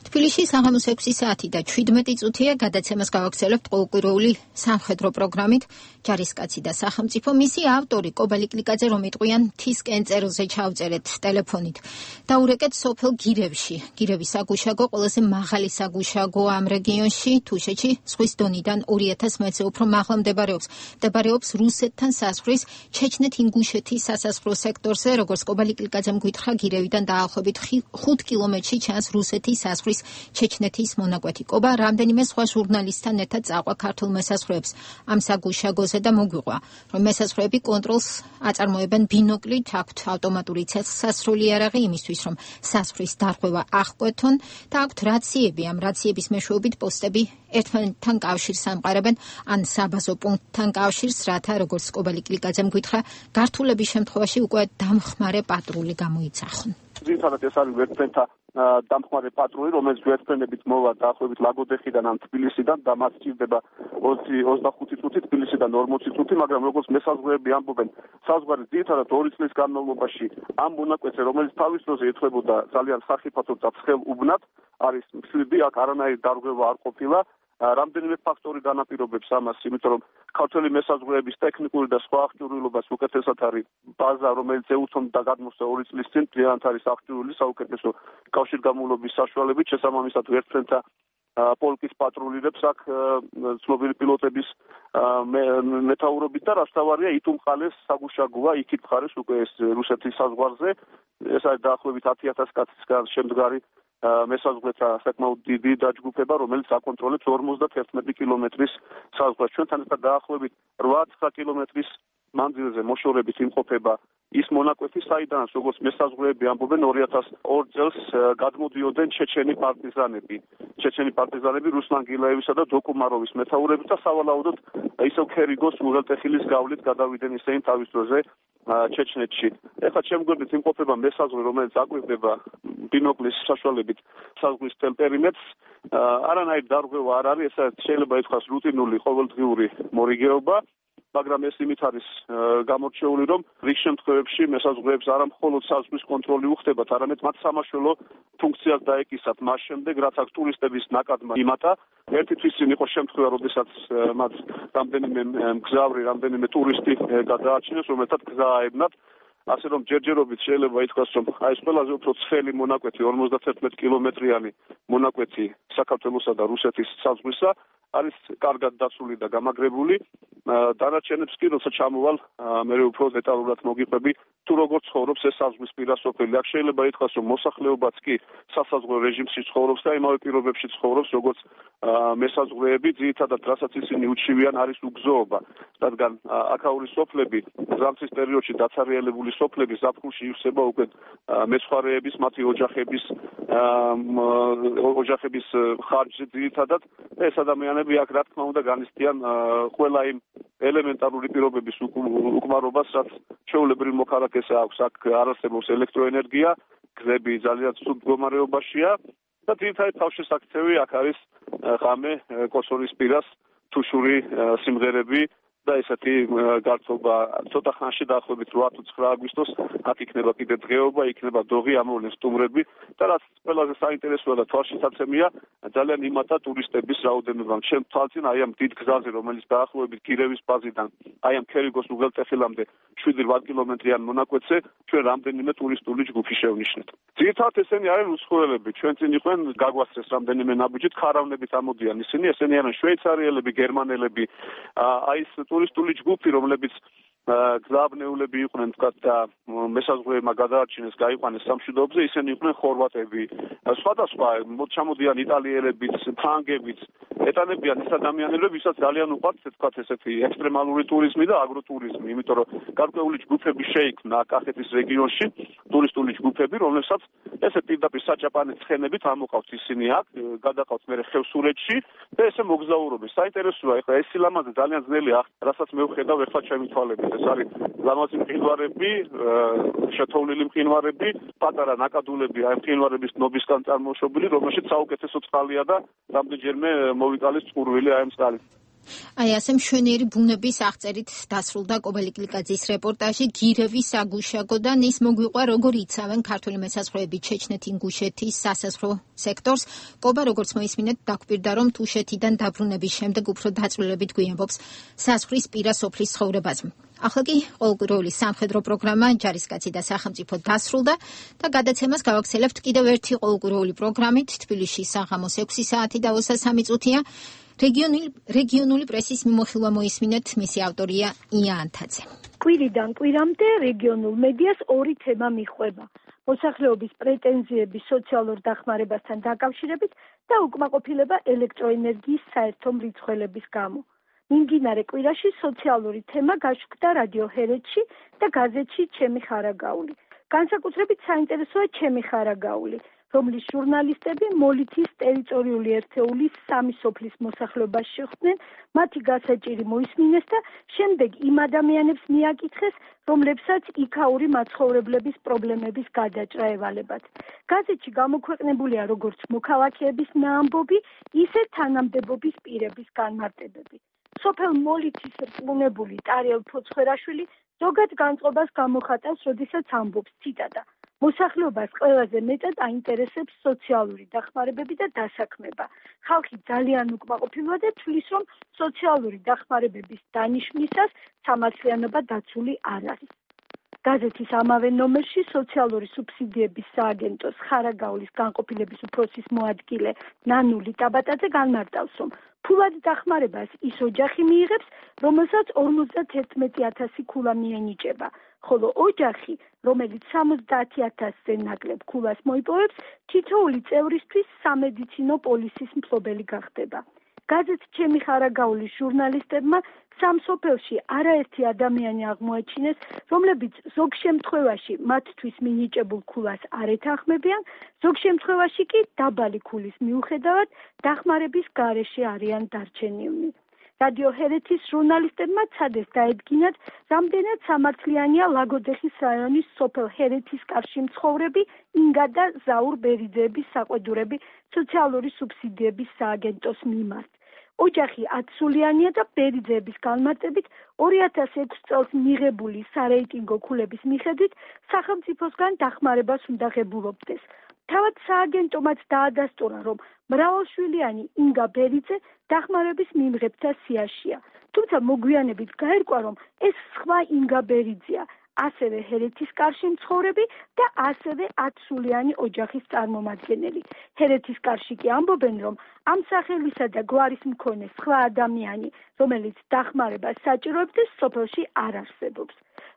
თბილისში საღამოს ექვსი საათი და შვიდმეტი წუთია, გადაცემას გავაგრძელებთ ყოველკვირეული სამხედრო პროგრამით ჯარისკაცი და სახელმწიფო. მისი ავტორი კობალი კლიკაძე, რომ იტყვიან მთისკენ წერილზე ჩავწერეთ ტელეფონით. დაურეკეთ სოფელ გირევში. გირევის საგუშაგო ყველაზე მაღალი საგუშაგო ამ რეგიონში, თუშეთში, ზღვის დონიდან ორი ათას მეტრზე უფრო მაღლა მდებარეობს. მდებარეობს რუსეთთან საზღვრის ჩეჩნეთ-ინგუშეთის სასაზღვრო სექტორზე, როგორც კობალი კლიკაძემ გითხრა, გირევიდან დაახლოებით ხუთ კილომეტრში ჩანს რუსეთის საზღვრის ჩეჩნეთის მონაკვეთი. კობა რამდენიმე სხვა ჟურნალისტთან ერთად წაყვა ქართულ მესაზღვრეებს ამ საგუშაგოზე და მოგვიყვა, რომ მესაზღვრეები კონტროლს აწარმოებენ ბინოკლით, აქვთ ავტომატური ცეცხლსასროლი იარაღი იმისთვის, რომ საზღვრის დარღვევა აღკვეთონ და აქვთ რაციები. ამ რაციების მეშვეობით პოსტები ერთმანეთთან კავშირს ამყარებენ ან საბაზო პუნქტთან კავშირს, რათა როგორც კობალი კლიკაძემ გითხრა, გართულების შემთხვევაში უკვე დამხმარე პატრული გამოიცახონ. ძირითადად ეს არის ვერტფრენთა დამხმარე პატრული, რომელიც ვერტფრენებით მოვა დაახლოებით ლაგოდეხიდან ან თბილისიდან და მათ სჭირდება ოცდახუთი წუთი, თბილისიდან ორმოცი წუთი, მაგრამ როგორც მესაზღვრეები ამბობენ, საზღვარი ძირითადად ორი წლის განმავლობაში ამ მონაკვეთზე, რომელიც თავის დროზე ეთქვებოდა ძალიან სახიფათო და ცხელ უბნად, არის მშვიდი, აქ არანაირი დარღვევა არ ყოფილა. რამდენიმე ფაქტორი განაპირობებს ამას, იმიტომ რომ ქართველი მესაზღვრეების ტექნიკური და სხვა აღჭურვილობას უკეთესად არის ბაზა, რომელიც ეუთმობდა გადმოსვლა ორი წლის წინ, დღიანთ არის აღჭურვილი საუკეთესო კავშირგამოვლობის საშუალებით, შესაბამისად ვერტფრენთა პოლკის პატრულირებს აქ ცნობილი პილოტების მეთაურობით და რაც თავარია იტუმყალეს საგუშაგოა, იქით მხარეს უკვე ეს რუსეთის საზღვარზე, ეს არის დაახლოებით ათი ათას კაცისგან შემდგარი მესაზღვრეთა საკმაოდ დიდი დაჯგუფება, რომელიც აკონტროლებს ორმოცდაერთი კილომეტრის საზღვრს. ჩვენთან ერთად დაახლოებით რვა-ცხრა კილომეტრის მანძილზე მოშორებით იმყოფება ის მონაკვეთი, საიდანაც როგორც მესაზღვრეები ამბობენ ორი ათას ორი წელს გადმოდიოდნენ ჩეჩენი პარტიზანები. ჩეჩენი პარტიზანები რუსლან გილაევისა და დოკუმაროვის მეთაურებით და სავალაოდოდ ისევ ქერიგოს უღელტეხილის გავლით გადავიდნენ ისინი თავის დროზე ჩეჩნეთში. ეხლა შემგვერდით იმყოფება მესაზღვრე, რომელიც აკვირდება ბინოკლის საშუალებით საზღვრის მთელ პერიმეტრს. არანაირი დარღვევა არ არის, ეს შეიძლება ითქვას რუტინული ყოველდღიური მორიგეობა. მაგრამ ეს იმით არის გამორჩეული, რომ რიგ შემთხვევებში მესაზღვრეებს არა მხოლოდ საზღვრის კონტროლი უხდებათ, არამედ მათ სამაშველო ფუნქციას დაეკისათ მას შემდეგ, რაც აქ ტურისტების ნაკადმა იმატა. ერთი თვის წინ იყო შემთხვევა, როდესაც მათ რამდენიმე მგზავრი, რამდენიმე ტურისტი გადააჩინეს, რომელთაც გზა აებნათ. ასე რომ ჯერჯერობით შეიძლება ითქვას, რომ აი ეს ყველაზე უფრო ცხელი მონაკვეთი, ორმოცდაერთი კილომეტრიანი მონაკვეთი საქართველოსა და რუსეთის საზღვრისა არის კარგად დაცული და გამაგრებული. დანარჩენებს კი როცა ჩამოვალ, მე უფრო დეტალურად მოგიყვები, თუ როგორ ცხოვრობს ეს საზღვრის პირა სოფელი. აქ შეიძლება ითქვას, რომ მოსახლეობაც კი სასაზღვრო რეჟიმში ცხოვრობს და იმავე პირობებში ცხოვრობს, როგორც მესაზღვრეები, ძირითადად რასაც ისინი უჩივიან არის უგზოობა. რადგან აქაური სოფლები ზამთრის პერიოდში დაცარიელებული სოფლები ზაფხულში ივსება უკვე მეცხვარეების, მათი ოჯახების ოჯახების ხარჯზე ძირითადად. ეს ადამიანები აქ რა თქმა უნდა განიცდიან ყველა იმ ელემენტარული პირობების უკმარობას, რაც ჩვეულებრივ მოქალაქეს აქვს. აქ არ არსებობს ელექტროენერგია, გზები ძალიან ცუდ მდგომარეობაშია და ძირითადად თავშესაქცევი აქ არის ღამე კოსოვის პირას თუშური სიმღერები და ესეთი გართობა ცოტა ხანში დაახლოებით რვა თუ ცხრა აგვისტოს აქ იქნება კიდე დღეობა, იქნება დოღი, ამოვლენ სტუმრები და რაც ყველაზე საინტერესოა და თვალშისაცემია, ძალიან იმატა ტურისტების რაოდენობა. ჩემ თვალწინ აი ამ დიდ გზაზე, რომელიც დაახლოებით გირევის ბაზიდან აი ამ ქერიგოს უღელტეხილამდე შვიდი-რვა კილომეტრიან მონაკვეთზე ჩვენ რამდენიმე ტურისტული ჯგუფი შევნიშნეთ. ძირითადად ესენი არიან რუსხოელები, ჩვენ წინ იყვნენ გაგვასწრეს რამდენიმე ნაბიჯით, ხარავნებით ამოდიან ისინი, ესენი არიან შვეიცარიელები, გერმანელები, აი ეს ტურისტული ჯგუფი, რომლებიც გზააბნეულები იყვნენ თქვა და მესაზღვრეებმა გადაარჩინეს, გაიყვანეს სამშვიდობზე, ისინი იყვნენ ხორვატები, სხვადასხვა ჩამოდიან იტალიელებიც, ფრანგებიც, ეტანებიან ის ადამიანები, ვისაც ძალიან უყვართ, თქვა ესეთი ექსტრემალური ტურიზმი და აგროტურიზმი, იმიტომ რომ გარკვეული ჯგუფები შეიქმნა კახეთის რეგიონში, ტურისტული ჯგუფები, რომლებსაც ესე პირდაპირ საჭაპანი ცხენებით ამოყავთ ისინი აქ, გადაყავთ მერე ხევსურეთში და ესე მოგზაურობენ. საინტერესოა, ეხლა ეს სილამაზე ძალიან ძნელი ახ, რასაც მე ვხედავ ეხლა ჩემი თვალებით. ეს არის ლამაზი მყინვარები, შეთოვლილი მყინვარები, პატარა ნაკადულები, აი მყინვარების ნობისგან წარმოშობილი, რომელშიც საუკეთესო წყალია და რამდენჯერმე მოვიკალეს წყურვილი აი ამ წყალით. აი ასე მშვენიერი ბუნების აღწერით დასრულდა კობელი კლიკაძის რეპორტაჟი გირევის საგუშაგოდან. ის მოგვიყვა როგორ იცავენ ქართული მესაზღვრეები ჩეჩნეთ-ინგუშეთის სასაზღვრო სექტორს. კობა როგორც მოისმინეთ დაგვირდა რომ თუშეთიდან დაბრუნების შემდეგ უფრო დაწვრილებით გვიამბობს საზღვრის პირა სოფლის ცხოვრებაზე. ახლა კი ყოველკვირეული სამხედრო პროგრამა ჯარისკაცი და სახელმწიფო დასრულდა და გადაცემას გავაქცელებთ კიდევ ერთი ყოველკვირეული პროგრამით. თბილისში საღამოს ექვსი საათი და ოცდაოთხ წუთია. რეგიონული რეგიონული პრესის მიმოხილვა მოისმინეთ, მისი ავტორია ია ანთაძე. კვირიდან კვირამდე რეგიონულ მედიას ორი თემა მიჰყვება: მოსახლეობის პრეტენზიები სოციალურ დახმარებასთან დაკავშირებით და უკმაყოფილება ელექტროენერგიის საერთო მრიცხველების გამო. მიმდინარე კვირაში სოციალური თემა გაჩნდა რადიო ჰერეთში და გაზეთში ჩემი ხარაგაული. განსაკუთრებით საინტერესოა ჩემი ხარაგაული, რომლის ჟურნალისტები მოლითის ტერიტორიული ერთეულის სამი სოფლის მოსახლეობას შეხვდნენ, მათი გასაჭირი მოისმინეს და შემდეგ იმ ადამიანებს მიაკითხეს, რომლებსაც იქაური მაცხოვრებლების პრობლემების გადაჭრა ევალებათ. გაზეთში გამოქვეყნებულია როგორც მოქალაქეების ნაამბობი, ისე თანამდებობის პირების განმარტებები. სოფელ მოლითის რწმუნებული ტარიელ ფოცხვერაშვილი ზოგად განწყობას გამოხატავს, როდესაც ამბობს, ციტატა: მოსახლეობას ყველაზე მეტად აინტერესებს სოციალური დახმარებები და დასაქმება. ხალხი ძალიან უკმაყოფილოა და თვლის, რომ სოციალური დახმარებების დანიშვნისას სამართლიანობა დაცული არ არის. გაზეთის ამავე ნომერში სოციალური სუბსიდიების სააგენტოს ხარაგაულის განყოფილების უფროსის მოადგილე ნანული ტაბატაძე განმარტავს, რომ ფულად დახმარებას ის ოჯახი მიიღებს, რომელსაც ორმოცდათერთმეტი ათასი ქულა მიენიჭება. ხოლო ოჯახი, რომელიც სამოცდაათი ათასზე ნაკლებ ქულას მოიპოვებს, თითოეული წევრისთვის სამედიცინო პოლისის მფლობელი გახდება. გაზეთ ჩემი ხარაგაულის ჟურნალისტებმა სამ სოფელში არაერთი ადამიანი აღმოაჩინეს, რომლებიც ზოგ შემთხვევაში მათთვის მინიჭებულ ქულას არ ეთანხმებიან, ზოგ შემთხვევაში კი დაბალი ქულის მიუხედავად დახმარების გარეშე არიან დარჩენილნი. რადიო ჰერეთის ჟურნალისტებმა ცადეს დაედგინათ, რამდენად სამართლიანია ლაგოდეხის რაიონის სოფელ ჰერეთის კარში მცხოვრები ინგა და ზაურ ბერიძეების საყვედურები სოციალური სუბსიდიების სააგენტოს მიმართ. ოჯახი ათსულიანია და ბერიძეების განმარტებით ორი ათას ექვსი წელს მიღებული სარეიტინგო ქულების მიხედვით სახელმწიფოსგან დახმარებას უნდა ღებულობდეს. თავად სააგენტომაც დაადასტურა, რომ მრავალშვილიანი ინგა ბერიძე დახმარების მიმღებთა სიაშია. თუმცა მოგვიანებით გაერკვა, რომ ეს სხვა ინგა ბერიძეა, ასევე ჰერეთის კარში მცხოვრები და ასევე ათსულიანი ოჯახის წარმომადგენელი. ჰერეთის კარში კი ამბობენ, რომ ამ სახელისა და გვარის მქონე სხვა ადამიანი, რომელიც დახმარებას საჭიროებდეს, სოფელში არ არსებობს.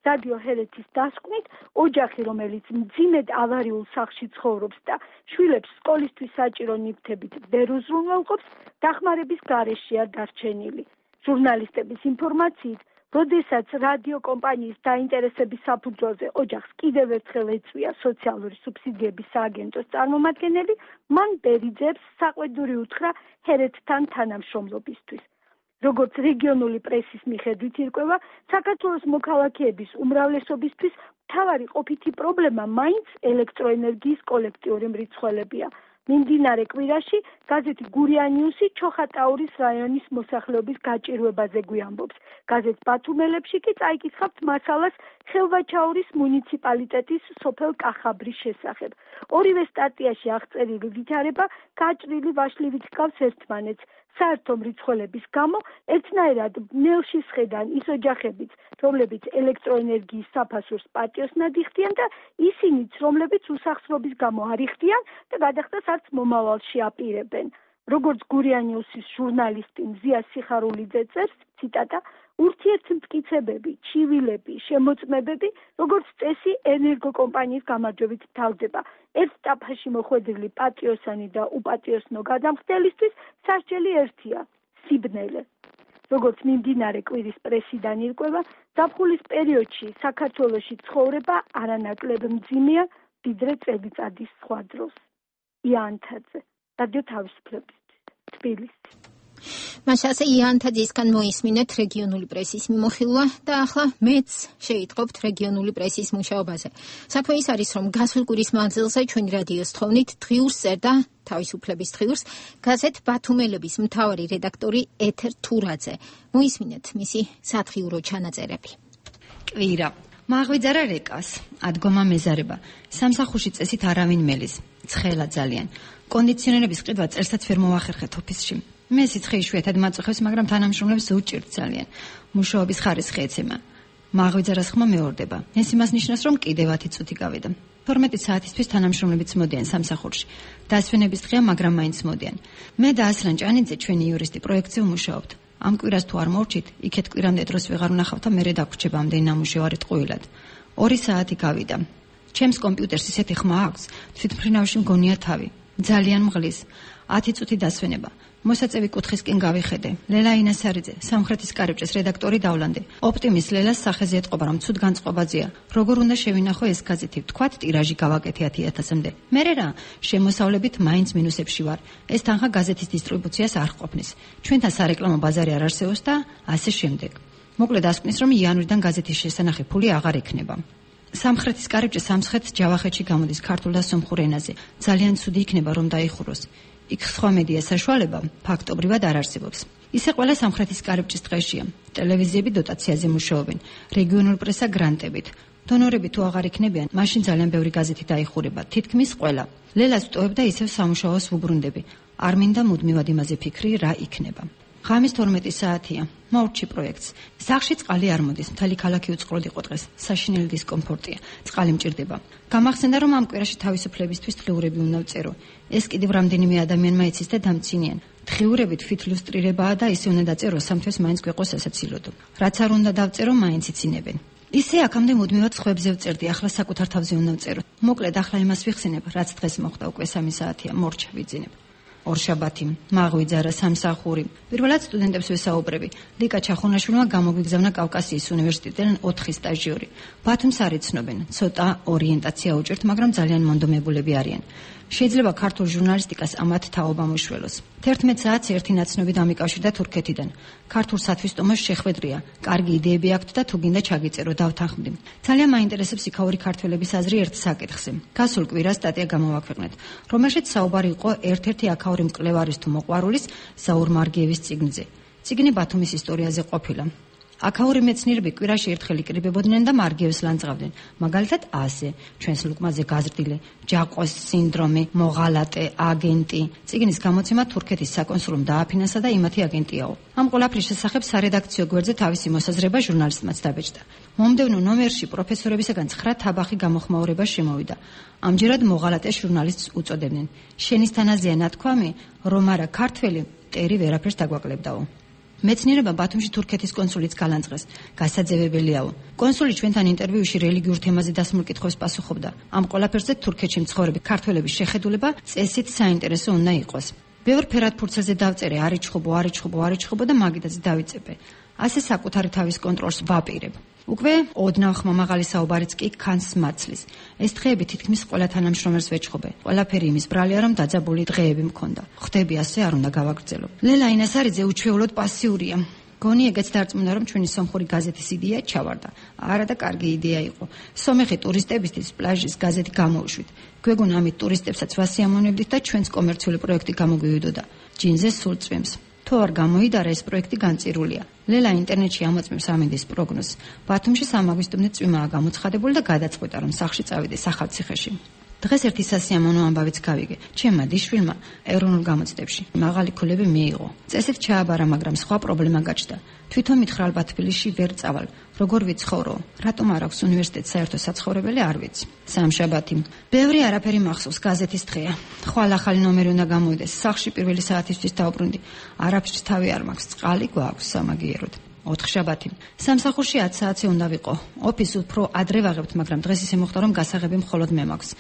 რადიო ჰერეთის დასკვნით, ოჯახი, რომელიც მძიმედ ავარიულ სახლში ცხოვრობს და შვილებს სკოლისთვის საჭირო ნივთებით ვერ უზრუნველყოფს, დახმარების გარეშეა დარჩენილი. ჟურნალისტების ინფორმაციით, როდესაც რადიო კომპანიის დაინტერესების საფუძველზე ოჯახს კიდევ ერთხელ ეწვია სოციალური სუბსიდიების სააგენტოს წარმომადგენელი, მან ბერიძეებს საყვედური უთხრა ჰერეთთან თანამშრომლობისთვის. როგორც რეგიონული პრესის მიხედვით ირკვევა, საქართველოს მოქალაქეების უმრავლესობისთვის მთავარი ყოფითი პრობლემა მაინც ელექტროენერგიის კოლექტიური მრიცხველებია. მიმდინარე კვირაში გაზეთი გურიანიუსი ჩოხატაურის რაიონის მოსახლეობის გაჭირვებაზე გვიამბობს. გაზეთ ბათუმელებში კი წაიკითხავთ მასალას ხელვაჩაურის მუნიციპალიტეტის სოფელ კახაბრის შესახებ. ორივე სტატიაში აღწერილი ვითარება გაჭრილი ვაშლივით ჰგავს ერთმანეთს. საერთო მრიცხველების გამო ერთნაირად ნელში სხედან ის ოჯახებიც, რომლებიც ელექტროენერგიის საფასურს პატიოსნად იხდიან და ისინიც, რომლებიც უსახსრობის გამო არ იხდიან და გადახდას არც მომავალში აპირებენ. როგორც გურიანიუსის ჟურნალისტი მზია სიხარულიძე წერს, ციტატა, ურთიერთმტკიცებები, ჩივილები, შემოწმებები, როგორც წესი ენერგოკომპანიის გამარჯვებით თავდება. ერთ ტაფაში მოხვედრილი პატიოსანი და უპატიოსნო გადამხდელისთვის სასჯელი ერთია, სიბნელე. როგორც მიმდინარე კვირის პრესიდან ირკვევა, ზაფხულის პერიოდში საქართველოში ცხოვრება არანაკლებ მძიმეა, ვიდრე წელიწადის სხვა დროს. იანთაძე, რადიო თავისუფლებისთვის, თბილისი. მაშასე იანთაძისგან მოისმინეთ რეგიონული პრესის მიმოხილვა და ახლა მეც შეიტყობთ რეგიონული პრესის მუშაობაზე. საქმე ის არის, რომ გასულ კვირის მანძილზე ჩვენი რადიოს თხოვნით დღიურს წერდა თავისუფლების დღიურს გაზეთ ბათუმელების მთავარი რედაქტორი ეთერ თურაძე. მოისმინეთ მისი სათხიურო ჩანაწერები. კვირა მაღვიძარა რეკას, ადგომა მეზარება, სამსახურში წესით არავინ მელის, ცხელა ძალიან. კონდიციონერების ყიდვა წერსაც ვერ მოახერხეთ ოფისში. მე სიცხე იშვიათად მაწუხებს, მაგრამ თანამშრომლებს უჭირთ ძალიან. მუშაობის ხარისხი ეცემა. მაღვიძარას ხმა მეორდება. ეს იმას ნიშნავს, რომ კიდევ ათი წუთი გავიდა. თორმეტი საათისთვის თანამშრომლებიც მოდიან სამსახურში. დასვენების დღეა, მაგრამ მაინც მოდიან. მე და ასლან ჭანიძე, ჩვენი იურისტი, პროექტზე ვმუშაობთ. ამ კვირას თუ არ მორჩით, იქეთ კვირამდე დროს ვეღარ ვნახავთ და მერე დაგვრჩება ამდენი ნამუშევარი ტყუილად. ორი საათი გავიდა. ჩემს კომპიუტერს ისეთი ხმა აქვს, თვითმფრინავში მგონია თავი. ძალიან მღლის. ათი წუთი დასვენება. მოსაწევი კუთხისკენ გავიხედე. ლელა ინასარიძე, სამხრეთის კარიბჭეს რედაქტორი დავლანდე. ოპტიმის ლელას სახეზე ეტყობა, რომ ცუდ განწყობაზეა. როგორ უნდა შევინახო ეს გაზეთი? ვთქვათ, ტირაჟი გავაკეთე ათი ათასამდე. მერე რა, შემოსავლებით მაინც მინუსებში ვარ. ეს თანხა გაზეთის დისტრიბუციას არ ყოფნის. ჩვენთან სარეკლამო ბაზარი არ არსებობს და ასე შემდეგ. მოკლედ ასკვნის, რომ იანვრიდან გაზეთის შესანახი ფული აღარ ექნება. სამხრეთის კარიბჭე სამცხეთს ჯავახეთში გამოდის ქართულ და სომხურ ენაზე. ძალიან ცუდი იქნება, რომ დაიხუროს. იქ სხვა მედია საშუალება ფაქტობრივად არ არსებობს. ისე ყველა სამხრეთის კარიბჭის დღეშია. ტელევიზიები დოტაციაზე მუშაობენ, რეგიონულ პრესა გრანტებით. დონორები თუ აღარ იქნებიან, მაშინ ძალიან ბევრი გაზეთი დაიხურება, თითქმის ყველა. ლელას ვტოვებ და ისევ სამუშაოს ვუბრუნდები. არ მინდა მუდმივად იმაზე ფიქრი, რა იქნება. ღამის თორმეტი საათია. მოვრჩი პროექტს. სახლში წყალი არ მოდის, მთელი ქალაქი უწყროდ იყო დღეს. საშინელი დისკომფორტია. წყალი მჭირდება. გამახსენდა, რომ ამ კვირაში თავისუფლებისთვის დღიურები უნდა ვწერო. ეს კიდევ რამდენიმე ადამიანმა იცის და დამცინიან. დღიურები თვით ლუსტრირებაა და ისე უნდა დაწერო, სამთვეს მაინც გვეყოს ასაცილოდო. რაც არ უნდა დავწერო, მაინც იცინებენ. ისე აქამდე მუდმივად ხვებზე ვწერდი, ახლა საკუთარ თავზე უნდა ვწერო. მოკლედ ახლა იმას ვიხსენებ, რაც დღეს მოხდა, უკვე სამი საათია, მორჩა ვიძინებ. ორშაბათი, მაღვიძარა, სამსახური. პირველად სტუდენტებს ვესაუბრები. ლიკა ჩახუნაშვილმა გამოგვიგზავნა კავკასიის უნივერსიტეტიდან ოთხი სტაჟიორი. ბათუმს არ იცნობენ, ცოტა ორიენტაცია უჭერთ, მაგრამ ძალიან მონდომებულები არიან. შეიძლება ქართულ ჟურნალისტიკას ამათ თაობა მოშველოს. თერთმეტ საათს ერთი ნაცნობი დამიკავშირდა თურქეთიდან. ქართულ სათვისტომოს შეხვედრია. კარგი იდეები აქვთ და თუ გინდა ჩაგიწერო, დავთანხმდი. ძალიან მაინტერესებს იქაური ქართველების აზრი ერთ საკითხზე. გასულ კვირას სტატია გამოვაქვეყნეთ, რომელშიც საუბარი იყო ერთ-ერთი აქაური მკვლევარის თუ მოყვარულის ზაურ მარგიევის წიგნზე. წიგნი ბათუმის ისტორიაზე ყოფილა. აქაური მეცნიერები კვირაში ერთხელ იკრიბებოდნენ და მარგიევს ლანძღავდნენ. მაგალითად ასე, ჩვენს ლუკმაზე გაზრდილი, ჯაყოს სინდრომი, მოღალატე, აგენტი. წიგნის გამოცემა თურქეთის საკონსულომ დააფინანსა და იმათი აგენტიაო. ამ ყველაფრის შესახებ სარედაქციო გვერდზე თავისი მოსაზრება ჟურნალისტმაც დაბეჭდა. მომდევნო ნომერში პროფესორებისაგან ცხრა თაბახი გამოხმაურება შემოვიდა. ამჯერად მოღალატე ჟურნალისტს უწოდებდნენ. შენის თანაზეა ნათქვამი, რომ არა ქართველი მტერი ვერაფერს დაგვაკლებდაო. მეცნიერება ბათუმში თურქეთის კონსულიც გალანძღეს. გასაძევებელიაო. კონსული ჩვენთან ინტერვიუში რელიგიურ თემაზე დასმულ კითხვებს პასუხობდა. ამ ყველაფერზე თურქეთში მცხოვრები ქართველების შეხედულება წესით საინტერესო უნდა იყოს. ბევრ ფერად ფურცელზე დავწერე, არიჩხუბო, არიჩხუბო, არიჩხუბო და მაგიდაც დავიწებე. ასე საკუთარი თავის კონტროლს ვაპირებ. უკვე ოდნავ ხმამაღალი საუბარიც კი ქანს მაცლის. ეს დღეები თითქმის ყველა თანამშრომელს ვეჩხუბე. ყველაფერი იმის ბრალია, რომ დაძაბული დღეები მქონდა. ხვდები ასე არ უნდა გავაგრძელო. ლელა ინასარიძე უჩვეულოდ პასიურია. გონი ეგეც დარწმუნდა, რომ ჩვენი სომხური გაზეთის იდეა ჩავარდა. არა და კარგი იდეა იყო. სომეხი ტურისტებისთვის პლაჟის გაზეთი გამოვშვით. გვეგონა ამით ტურისტებსაც ვასიამოვნებდით და ჩვენს კომერციული პროექტი გამოგვივიდოდა. ჯინზე სულ წვიმს. თუ არ გამოიდარა ეს პროექტი განწირულია. ლელა ინტერნეტში ამოწმებს ამინდის პროგნოზს. ბათუმში სამაგვისტომდე წვიმაა გამოცხადებული და გადაწყვეტა, რომ სახლში წავიდეს ახალციხეში. დღეს ერთი სასიამოვნო ამბავიც გავიგე. ჩემმა დიშვილმა ეროვნულ გამოცდებში მაღალი ქულები მიიღო. წესით ჩააბარა, მაგრამ სხვა პრობლემა გაჩნდა. თვითონ მითხრა ალბათ თბილისში ვერ წავალ. როგორ ვიცხოვრო? რატომ არ აქვს უნივერსიტეტს საერთო საცხოვრებელი, არ ვიცი. სამშაბათი. ბევრი არაფერი მახსოვს, გაზეთის დღეა. ხვალ ახალი ნომერი უნდა გამოვიდეს. სახლში პირველი საათისთვის დავბრუნდი. არაფრის თავი არ მაქვს, წყალი გვაქვს სამაგიეროდ. ოთხშაბათი. სამსახურში ათი საათზე უნდა ვიყო. ოფისს უფრო ადრე ვაღებთ, მაგრამ დღეს ისე მოხდა, რომ გასაღები მხოლოდ მე მაქვს.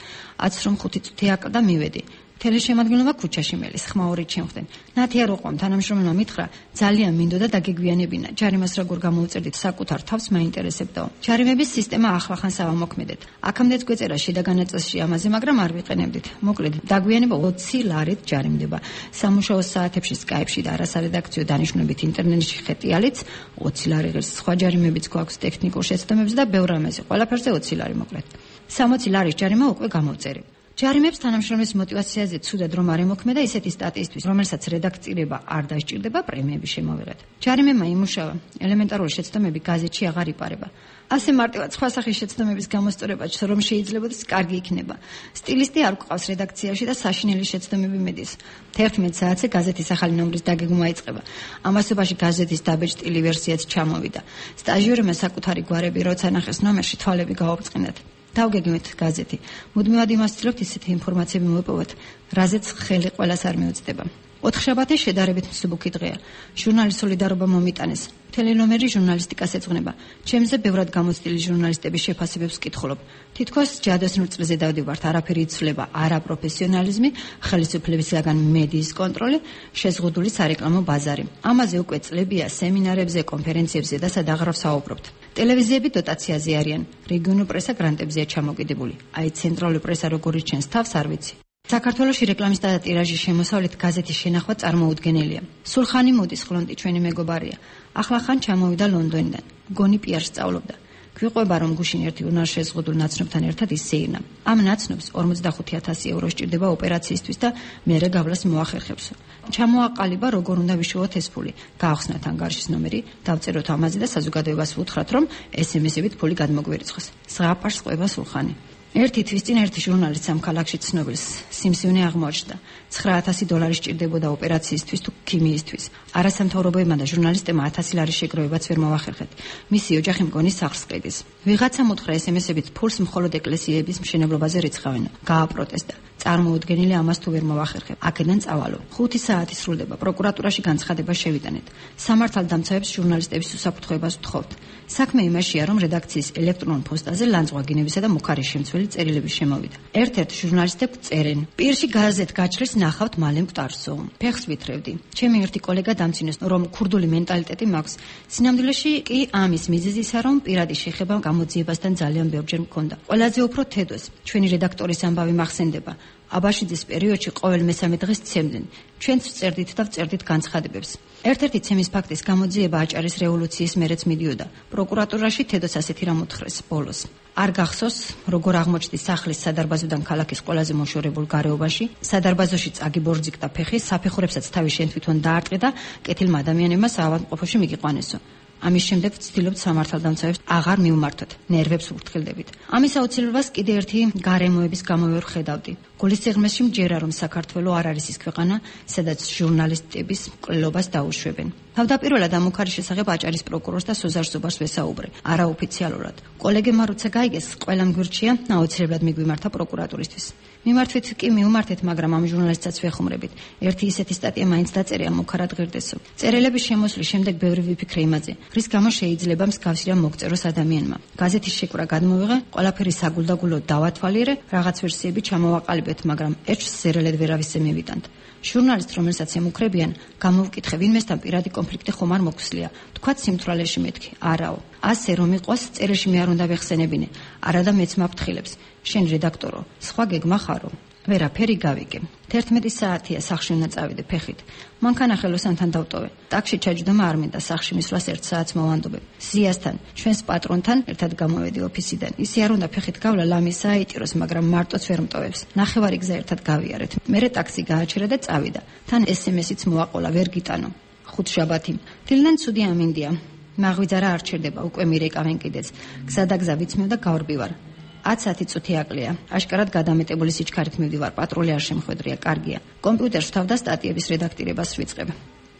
ათს რომ ხუთი წუთი აკდა მივედი. თელეშემადგენლობა ქუჩაში მელის, ხმაურით შემხდნენ. ნათი არ უყვამ, თანამშრომელმა მითხრა, ძალიან მინდოდა დაგეგვიანებინა. ჯარიმას როგორ გამოუწერდით საკუთარ თავს მაინტერესებდაო. ჯარიმების სისტემა ახლახანს ავამოქმედეთ. აქამდეც გვეწერა შიდა განაწილში ამაზე, მაგრამ არ ვიყენებდით. მოკლედ, დაგვიანება ოცი ლარით ჯარიმდება. სამუშაო საათებში სკაიპში და არასარედაქციო დანიშნულებით ინტერნეტში ხეტიალიც ოცი ლარი ღირს. სხვა ჯარიმებიც გვაქვს ტექნიკურ შეცდომებზე და ბევრ რამეზე. ყველაფერზე ოცი ლარი მოკლედ. სამოცი ლარის ჯარიმა უკვე გამოვწერე. ჯარიმებს თანამშრომლის мотиваციაზე ცუდად რომ არ ემოქმედა ისეთი სტატიისთვის, რომელსაც რედაქცირება არ დასჭირდება, პრემიები შემოვიღეთ. ჯარიმებმა იმუშავა, ელემენტარული შეცდომები გაზეთში აღარ იპარება. ასე მარტივად სხვა სახის შეცდომების გამოსწორება, რომ შეიძლებაოდეს კარგი იქნება. სტილისტი არ გვყავს რედაქციაში და საშინელი შეცდომები მედის. თერთმეტ საათზე გაზეთის ახალი ნომრის დაგეგმვა იწყება. ამასობაში გაზეთის დაბეჭდილი ვერსიაც ჩამოვიდა. სტაჟიორებმა საკუთარი გვარები როცა ნახეს ნომერში, თვალები გაუბრწყინდათ. დავგეგმეთ გაზეთი. მუდმივად იმას ვცდილობთ ისეთი ინფორმაციები მოვიპოვოთ, რაზეც ხელი ყველას არ მიუწდება. ოთხშაბათი შედარებით მსუბუქი დღეა. ჟურნალის სოლიდარობა მომიტანეს. თელენომერი ჟურნალისტიკას ეძღვნება. ჩემზე ბევრად გამოცდილი ჟურნალისტების შეფასებებს ვკითხულობ. თითქოს ჯადოსნურ წლზე დავდივართ, არაფერი იცვლება, არა პროფესიონალიზმი, ხელისუფლებისგან მედიის კონტროლი, შეზღუდული სარეკლამო ბაზარი. ამაზე უკვე წლებია სემინარებზე, კონფერენციებზე და სადაღრა ვსაუბრობთ. ტელევიზიები დოტაციაზე არიან, რეგიონულ პრესა გრანტებზეა ჩამოკიდებული. აი ცენტრალური პრესა როგორ იჩენს თავს არ ვიცი. საქართველოში რეკლამის და ტირაჟის შემოსავლით გაზეთის შენახვა წარმოუდგენელია. სულხანი მოდის ხლონტი ჩვენი მეგობარია. ახლახან ჩამოვიდა ლონდონიდან. გონი პიარს სწავლობდა. გვიყვება რომ გუშინ ერთი უნარშეზღუდულ ნაცნობთან ერთად ისეირნა. ამ ნაცნობს ორმოცდახუთი ათასი ევრო სჭირდება ოპერაციისთვის და მერე გავლას მოახერხებს. ჩამოაყალიბა როგორ უნდა ვიშოვოთ ეს ფული. გაახსნათ ანგარიშის ნომერი, დავწეროთ ამაზე და საზოგადოებას ვუთხრათ რომ ესემესებით ფული გადმოგვერიცხოს. ზღაპარს ყვება სულხანი. ერთი თვის წინ ერთი ჟურნალისტ ამ ქალაქში ცნობილს სიმსივნე აღმოაჩნდა. ცხრა ათასი დოლარი სჭირდებოდა ოპერაციისთვის თუ ქიმიისთვის. არასამთავრობოებმა და ჟურნალისტებმა ათასი ლარის შეგროვებაც ვერ მოახერხეთ. მისი ოჯახი მგონი სახლს ყიდის. ვიღაცა მოთხრა ესემესებით ფულს მხოლოდ ეკლესიების მშენებლობაზე რიცხავენ. გააპროტესტა. წარმოუდგენელი ამას თუ ვერ მოვახერხებ. აქედან წავალო. ხუთი საათი სრულდება. პროკურატურაში განცხადება შევიტანეთ. სამართალდამცავებს ჟურნალისტების უსაფრთხოებას ვთხოვთ. საქმე იმაშია, რომ რედაქციის ელექტრონულ პოსტაზე ლანძღვაგინებისა და მუქარის შემცველი წერილები შემოვიდა. ერთ-ერთ ჟურნალისტებს წერენ: "პირში გაზეთ გაჩხრის ნახავთ მალე მკვდარსო." ფეხს ვითრევდი. ჩემი ერთი კოლეგა დამწინეს, რომ ქურდული მენტალიტეტი მაქვს. სინამდვილეში კი ამის მიზეზისა, რომ პირადი შეხება გამოძიებასთან ძალიან ბევრჯერ მქონდა. ყველაზე უფრო თედოს ჩვენი რედაქტორის ამბავი მახსენდება. აბაშიძის პერიოდში ყოველ მესამე დღეს ცემდნენ. ჩვენც ვწერდით და ვწერდით განცხადებებს. ერთ-ერთი ცემის ფაქტის გამოძიება აჭარის რევოლუციის მერეც მიდიოდა. პროკურატურაში თედოს ასეთი რამ უთხრეს ბოლოს. არ გახსოვს, როგორ აღმოჩნდი სახლის სადარბაზოდან ქალაქის ყველაზე მოშორებულ გარეობაში, სადარბაზოში წაგიბორძიკდა ფეხი, საფეხურებსაც თავი შენ თვითონ დაარტყე და კეთილმა ადამიანებმა საავადმყოფოში მიგიყვანესო. ამის შემდეგ ვცდილობთ სამართალდამცავებს აღარ მივმართოთ, ნერვებს ვუფრთხილდებით. ამის აუცილებლობას კიდე ერთი გარემოების გამო ვერ ხედავდი. გულისიღრმეში მჯერა, რომ საქართველო არ არის ის ქვეყანა, სადაც ჟურნალისტების მკვლელობას დაუშვებენ. თავდაპირველად ამ უქარის შესახებ აჭარის პროკურორს და სოზარ ზუბარს ვესაუბრე, არაოფიციალურად. კოლეგებმა როცა გაიგეს, ყველამ გვირჩია, აუცილებლად მიგვიმართა პროკურატურისთვის. მიმართვით კი მივმართეთ, მაგრამ ამ ჟურნალისტსაც ვეხუმრებით. ერთი ისეთი სტატია მაინც დაწერია, მუქარად ღირდესო. წერილების შემოსვლის შემდეგ ბევრი ვიფიქრე იმაზე, რის გამო შეიძლება მსგავსი რამ მოგწეროს ადამიანმა. გაზეთის შეკვრა გადმოვიღე, ყველაფერი საგულდაგულოდ დავათვალიერე, რაღაც ვერსიები ჩამოვაყალიბეთ, მაგრამ ეჭვს ზერელედ ვერავის მივიტანთ. ჟურნალისტ, რომელსაც ემუქრებიან, გამოვკითხე, ვინმესთან პირადი კონფლიქტი ხომ არ მოგვსლია. თქვათ სიმთვრალეში მეთქი, არაო. ასე რომ იყოს, წერილში მე არ უნდა ვეხსენებინე, არადა მეც მაფრთხილებს. შენ რედაქტორო, სხვა გეგმა ხარო. ვერაფერი გავიგე. თერთმეტი საათია სახში უნდა წავიდე ფეხით. მანქანა-ხელოსანთან დავტოვე. ტაქსში ჩაჯდომა არ მინდა, სახში მისვლას ერთ საათს მოვანდობებ. ზიასთან, ჩვენს პატრონთან ერთად გამოვედი ოფისიდან. ისე არ უნდა ფეხით გავლა, ლამისა აიჭიროს, მაგრამ მარტოც ვერ მტოვებს. ნახევარი გზა ერთად გავიარეთ. მერე ტაქსი გააჩერა და წავიდა. თან ეს ემ ესიც მოაყოლა, ვერ გიტანო. ხუთშაბათი. დილიდან ცუდი ამინდია. მაღვიძარა არ ჩერდება, უკვე მირეკავენ კიდეც. გზა და გზა ვიცმევ და გავრბივარ. ათი წუთი აკლია. აშკარად გადამეტებული სიჩქარით მივდივარ, პატრული არ შემხვედრია, კარგია. კომპიუტერში თავ და სტატიების რედაქტირებას ვიწყებ.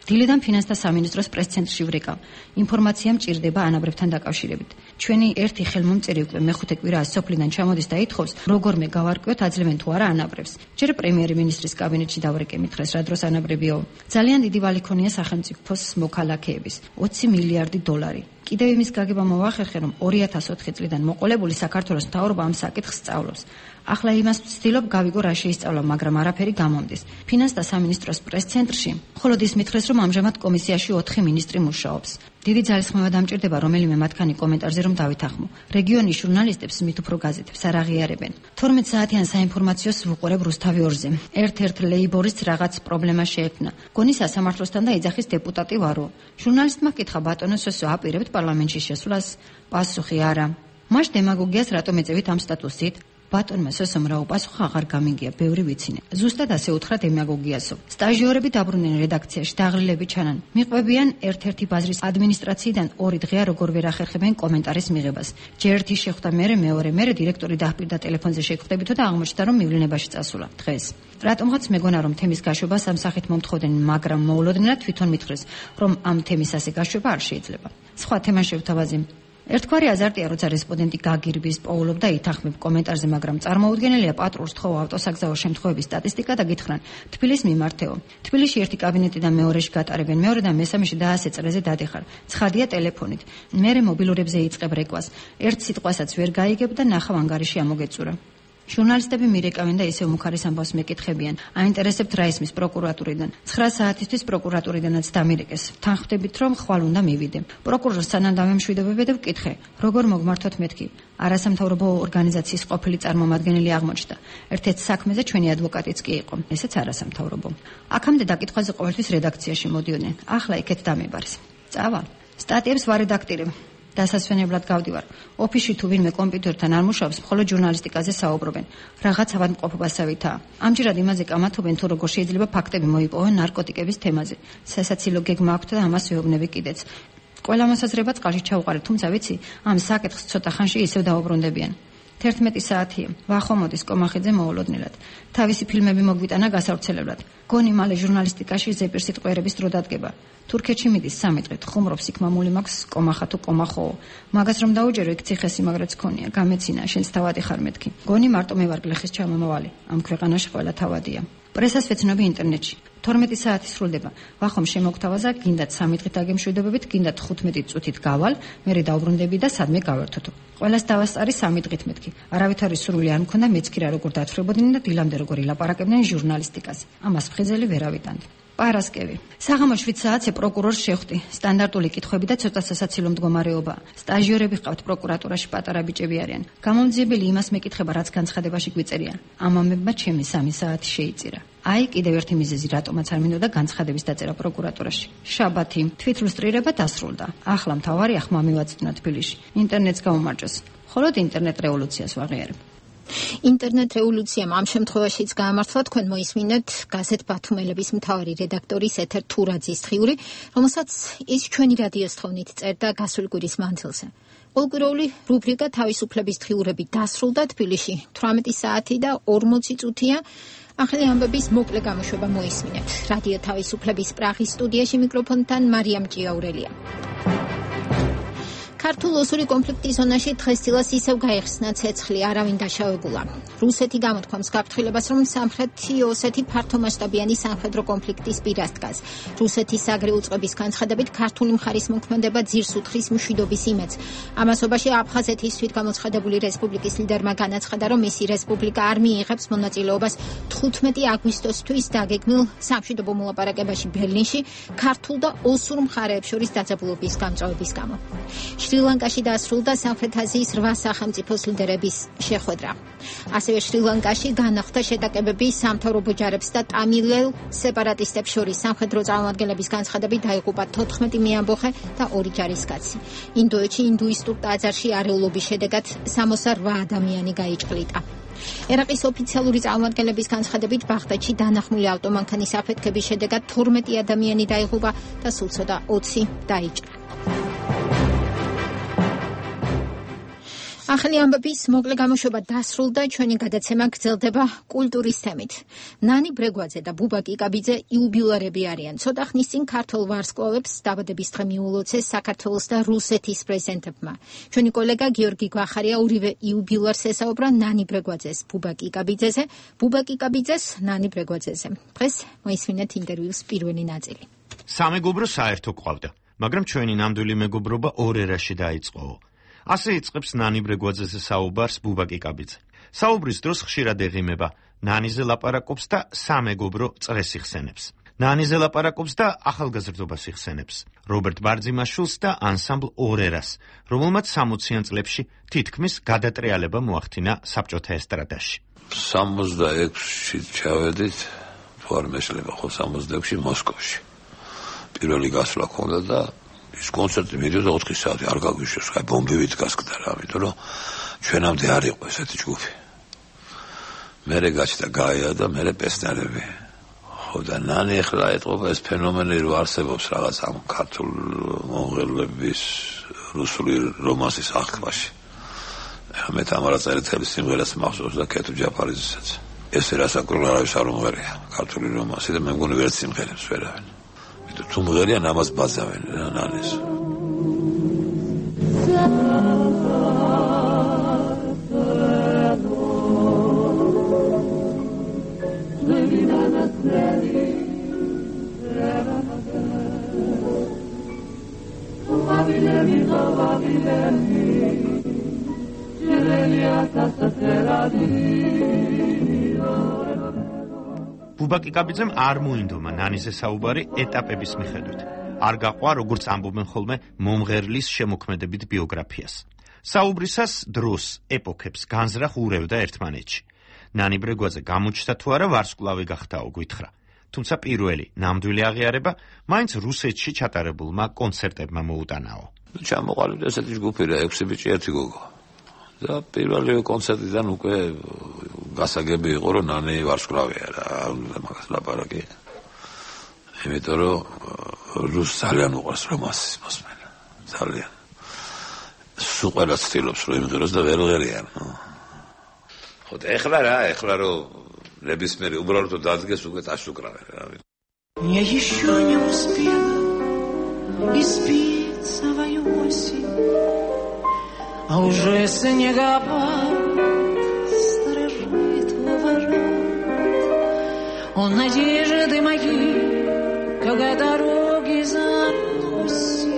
დილიდან ფინანსთა სამინისტროს პრეს-ცენტრში ვრეკავ. ინფორმაცია მჭირდება ანაბრებთან დაკავშირებით. ჩვენი ერთი ხელმომწერი უკვე მეხუთე კვირაა სოფლიდან ჩამოდის და ითხოვს, როგორმე გავარკვიოთ, აძლევენ თუ არა ანაბრებს. ჯერ პრემიერ-მინისტრის კაბინეტში დავრეკე, მითხრეს, რა დროს ანაბრებიო. ძალიან დიდი ვალი ქონია სახელმწიფოს მოქალაქეების, ოცი მილიარდი დოლარი. კიდევ იმის გაგება მოვახერხე, რომ ორი ათას ოთხი წლიდან მოყოლებული საქართველოს მთავრობა ამ საკითხს სწავლობს. ახლა იმას ვცდილობ გავიგო რა შეისწავლა, მაგრამ არაფერი გამომდის. ფინანსთა სამინისტროს პრეს-ცენტრში მხოლოდ ის მითხრეს, რომ ამჟამად კომისიაში ოთხი მინისტრი მუშაობს. დიდი ძალისხმევა დამჭირდება რომელიმე მათგანი კომენტარზე რომ დავითახმო. რეგიონის ჟურნალისტებს მით უფრო გაზეთებს არ აღიარებენ. თორმეტ საათიან საინფორმაციოს ვუყურებ რუსთავი ორზე. ერთ-ერთ ლეიბორისტს რაღაც პრობლემა შეექმნა. გონი სასამართლოსთან და ეძახის დეპუტატი ვარო. ჟურნალისტმა კითხა, ბატონო სოსო, აპირებთ პარლამენტში შესვლას? პასუხი არა. მას დემაგოგიას რატომ ეწევით ამ სტატუსით? ბატონმა სოსომ რა უპასუხა, აღარ გამიგია, ბევრი ვიცინე. ზუსტად ასე უთხრა დემაგოგიასო. სტაჟიორები დაბრუნდნენ რედაქციაში, დაღლილები ჩანან. მიყვებიან ერთ-ერთი ბაზრის ადმინისტრაციიდან ორი დღეა როგორ ვერ ახერხებენ კომენტარის მიღებას. ჯერ ერთი შეხვდა მერე, მეორე, მერე დირექტორი დაჰპირდა ტელეფონზე შეხვდებითო და აღმოჩნდა, რომ მივლინებაში წასულა დღეს. რატომღაც მეგონა, რომ თემის გაშვება სამსახით მომთხოვდნენ, მაგრამ მოულოდნელად და თვითონ მითხრეს, რომ ამ თემის ასე გაშვება არ შეიძლება. სხვა თემა შევთავაზე. ერთგვარი აზარტია, როცა რესპონდენტი გაგირბის, პოულობ და ითანხმებ კომენტარზე, მაგრამ წარმოუდგენელია პატრულს თხოვა ავტოსაგზაო შემთხვევების სტატისტიკა და გითხრან, თბილისს მიმართეო. თბილისში ერთი კაბინეტიდან მეორეში გატარებენ, მეორე და მესამეში და ასე წრეზე დადიხარ. ცხადია ტელეფონით. მერე მობილურებზე იწყებ რეკვას. ერთ სიტყვასაც ვერ გაიგებ და ნახავ ანგარიში ამოგეწურა. ჟურნალისტები მირეკავენ და ისევ მუქარის ამბავს მეკითხებიან. აინტერესებთ რა ისმის პროკურატურიდან. ცხრა საათისთვის პროკურატურიდანაც დამირეკეს. თანხმდებით, რომ ხვალ უნდა მივიდე. პროკურორს სანამ დამემშვიდობებე და ვკითხე, როგორ მოგმართოთ მეთქი. არასამთავრობო ორგანიზაციის ყოფილი წარმომადგენელი აღმოჩნდა. ერთ-ერთ საქმეზე ჩვენი ადვოკატიც კი იყო. ესეც არასამთავრობო. აქამდე დაკითხვაზე ყოველთვის რედაქციაში მოდიოდნენ. ახლა იქეთ დამიბარეს. წავალ. სტატიებს ვარედაქტირებ. დასასვენებლად გავდივარ. ოფისში თუ ვინმე კომპიუტერთან არ მუშაობს, მხოლოდ ჟურნალისტიკაზე საუბრობენ. რაღაც ავადმყოფობასავითაა. ამჯერად იმაზე კამათობენ, თუ როგორ შეიძლება ფაქტები მოიპოვონ ნარკოტიკების თემაზე. სასაცილო გეგმა აქვთ და ამას ვეუბნები კიდეც. ყველა მოსაზრება წყალში ჩაუყარეთ, თუმცა ვიცი, ამ საკითხს ცოტა ხანში ისევ დაუბრუნდებიან. თერთმეტი საათია. ვახო მოდის კომახიძე მოულოდნელად. თავისი ფილმები მოგვიტანა გასავრცელებლად. გონი მალე ჟურნალისტიკაში ზეპირ სიტყვიერების დრო დადგება. თურქეთში მიდის სამი დღით, ხუმრობს იქ მამული მაქვს კომახა თუ კომახოო. მაგას რომ დაუჯერო იქ ციხესი მაგრაც ქონია, გამეცინა, შენც თავადი ხარ მეთქი. გონი მარტო მე ვარ გლეხის ჩამომავალი. ამ ქვეყანაში ყველა თავადია. პრესას ვეცნობი ინტერნეტში. თორმეტი საათი სრულდება. ვახომ შემოგთავაზა, გინდათ სამი დღით აგემშვიდობებით, გინდათ ხუთმეტი წუთით გავალ, მერე დაუბრუნდები და სადმე გავერთოთო. ყველას დავასწარი სამი დღით მეთქი. არავითარი სრული არ მქონდა, მეც კი რა როგორ დათხრებოდნენ და დილამდე როგორ ილაპარაკებდნენ ჟურნალისტიკაზე. ამას ფხიზელი ვერ ავიტანდი. პარასკევი. საღამო შვიდ საათზე პროკურორს შეხვდი. სტანდარტული კითხვები და ცოტა სასაცილო მდგომარეობა. სტაჟიორები ყავთ პროკურატურაში, პატარა ბიჭები არიან. გამომძიებელი იმას მეკითხება, რაც განცხადებაში გვიწერიან. ამ ამებმა ჩემი სამი საათი შეიწირა. აი, კიდევ ერთი მიზეზი, რატომაც არ მინდოდა განცხადების დაწერა პროკურატურაში. შაბათი, თვითლუსტრირება დასრულდა. ახლა მთავარი ახმა მივაწვდნა თბილისში. ინტერნეტს გაუმარჯოს. მხოლოდ ინტერნეტ რევოლუციას ვაღიარებ. ინტერნეტ რევოლუციამ ამ შემთხვევაშიც გაამართლა, თქვენ მოისმინეთ გაზეთ ბათუმელების მთავარი რედაქტორის ეთერ თურაძის დღიური, რომელსაც ის ჩვენი რადიოს თხოვნით წერდა გასული კვირის მანძილზე. ყოველკვირეული რუბრიკა თავისუფლების დღიურები დასრულდა თბილისში. თვრამეტი საათი და ორმოცი წუთია. ახალი ამბების მოკლე გამოშვება მოისმინეთ. რადიო თავისუფლების პრაღის სტუდიაში მიკროფონთან მარიამ ჭიაურელია. ქართულ ოსური კონფლიქტის ზონაში დღესდილას ისევ გაიხსნა ცეცხლი, არავინ დაშავებულა. რუსეთი გამოთქვამს გაფრთხილებას, რომ სამხრეთი ოსეთი ფართომასშტაბიანი სამხედრო კონფლიქტის პირას დგას. რუსეთის აგრე უწყების განცხადებით, ქართული მხარის მოქმედება ძირს უთხრის მშვიდობის იმედს. ამასობაში აფხაზეთის თვითგამოცხადებული რესპუბლიკის ლიდერმა განაცხადა, რომ მისი რესპუბლიკა არ მიიღებს მონაწილეობას თხუთმეტი აგვისტოსთვის დაგეგმილ სამშვიდობო მოლაპარაკებაში ბერლინში ქართულ და ოსურ მხარეებს შორის დაძაბულობის გამწვავების გამო. შრი-ლანკაში დასრულდა სამხრეთ აზიის რვა სახელმწიფოს ლიდერების შეხვედრა. ასევე შრი-ლანკაში განახლდა შეტაკებები სამთავრობო ჯარებს და ტამილელ სეპარატისტებს შორის. სამხედრო წარმომადგენლების განცხადებით დაიღუპა თოთხმეტი მეამბოხე და ორი ჯარისკაცი. ინდოეთში ინდუისტურ ტაძარში არეულობის შედეგად სამოცდა რვა ადამიანი გაიჭყლიტა. ერაყის ოფიციალური წარმომადგენლების განცხადებით ბაღდადში დანახმული ავტომანქანის აფეთქების შედეგად თორმეტი ადამიანი დაიღუპა და სულ ცოტა ოცი დაიჭრა. ახალი ამბების მოკლე გამოშვება დასრულდა, ჩვენი გადაცემა გრძელდება კულტურის თემით. ნანი ბრეგვაძე და ბუბა კიკაბიძე იუბილარები არიან. ცოტა ხნის წინ ქართველ ვარსკვლავებს დაბადების დღე მიულოცეს საქართველოს და რუსეთის პრეზიდენტებმა. ჩვენი კოლეგა გიორგი გვახარია ორივე იუბილარს ესაუბრა ნანი ბრეგვაძეს ბუბა კიკაბიძეზე, ბუბა კიკაბიძეს ნანი ბრეგვაძეზე. დღეს მოისმინეთ ინტერვიუს პირველი ნაწილი. სამეგობრო საერთო ყავდა, მაგრამ ჩვენი ნამდვილი მეგობრობა ორ ერაში დაიწყო. ასე იწყებს ნანი ბრეგვაძეზე საუბარს ბუბა კიკაბიძე. საუბრის დროს ხშირად ეღიმება, ნანიზე ლაპარაკობს და სამეგობრო წრეს იხსენებს. ნანიზე ლაპარაკობს და ახალგაზრდობას იხსენებს. რობერტ ბარძიმაშვილს და ანსამბლ ორერას, რომელმაც სამოციან წლებში თითქმის გადატრიალება მოახდინა საბჭოთა ესტრადაში. სამოცდაექვსში ჩავედით, თუ არ მეშლება ხო სამოცდაექვსში მოსკოვში. პირველი გასვლა ქონდა და ის კონცერტი მიდიოდა ოთხი საათი, არ გაგვიშვეს, აი ბომბივით გასკდა რა, იმიტომ რომ ჩვენამდე არ იყო ესეთი ჯგუფი. მერე გაჩნდა გაია და მერე პესნერები. ხო და ნანი ახლა ეტყობა ეს ფენომენი რო არსებობს რაღაც ამ ქართულ მონღოლების რუსული რომანსის აღქმაში. მე თამარა წერეთელის სიმღერას მახსოვს და კეთუ ჯაფარიძესაც. ეს რასაკურვ არავის არ უმღერია ქართული რომანსი და მე მგონი ვერც სიმღერებს ვერავინ. თუ მღერიან ამას ბაძავენ ნანეს. ბუბა კიკაბიძემ არ მოინდომა ნანიზე საუბარი ეტაპების მიხედვით. არ გაყვა, როგორც ამბობენ ხოლმე, მომღერლის შემოქმედებით ბიოგრაფიას. საუბრისას დროს, ეპოქებს განზრახ ურევდა ერთმანეთში. ნანი ბრეგვაძე გამოჩნდა თუ არა ვარსკვლავი გახდაო, გვითხრა. თუმცა პირველი ნამდვილი აღიარება მაინც რუსეთში ჩატარებულმა კონცერტებმა მოუტანაო. ჩამოყალიბდა ესეთი ჯგუფი რა, ექვსი ბიჭი ერთი გოგო. და პირველი კონცერტიდან უკვე გასაგები იყო, რომ ნანი ვარსკვლავია რა, მაგას ლაპარაკი. იმიტომ რომ რუს ძალიან უყვარს რომანსის მოსმენა. ძალიან. სულ ყველა ცდილობს რომ იმღეროს და ვერ ღერიან. ხო და ეხლა რა ეხლა რომ ნებისმიერი უბრალოდ დადგეს უკვე დაშუკრავენ რა Я еще не успела испить свою осень, а уже снегопад сторожит у ворот. Он надежды мои, когда дороги заносит,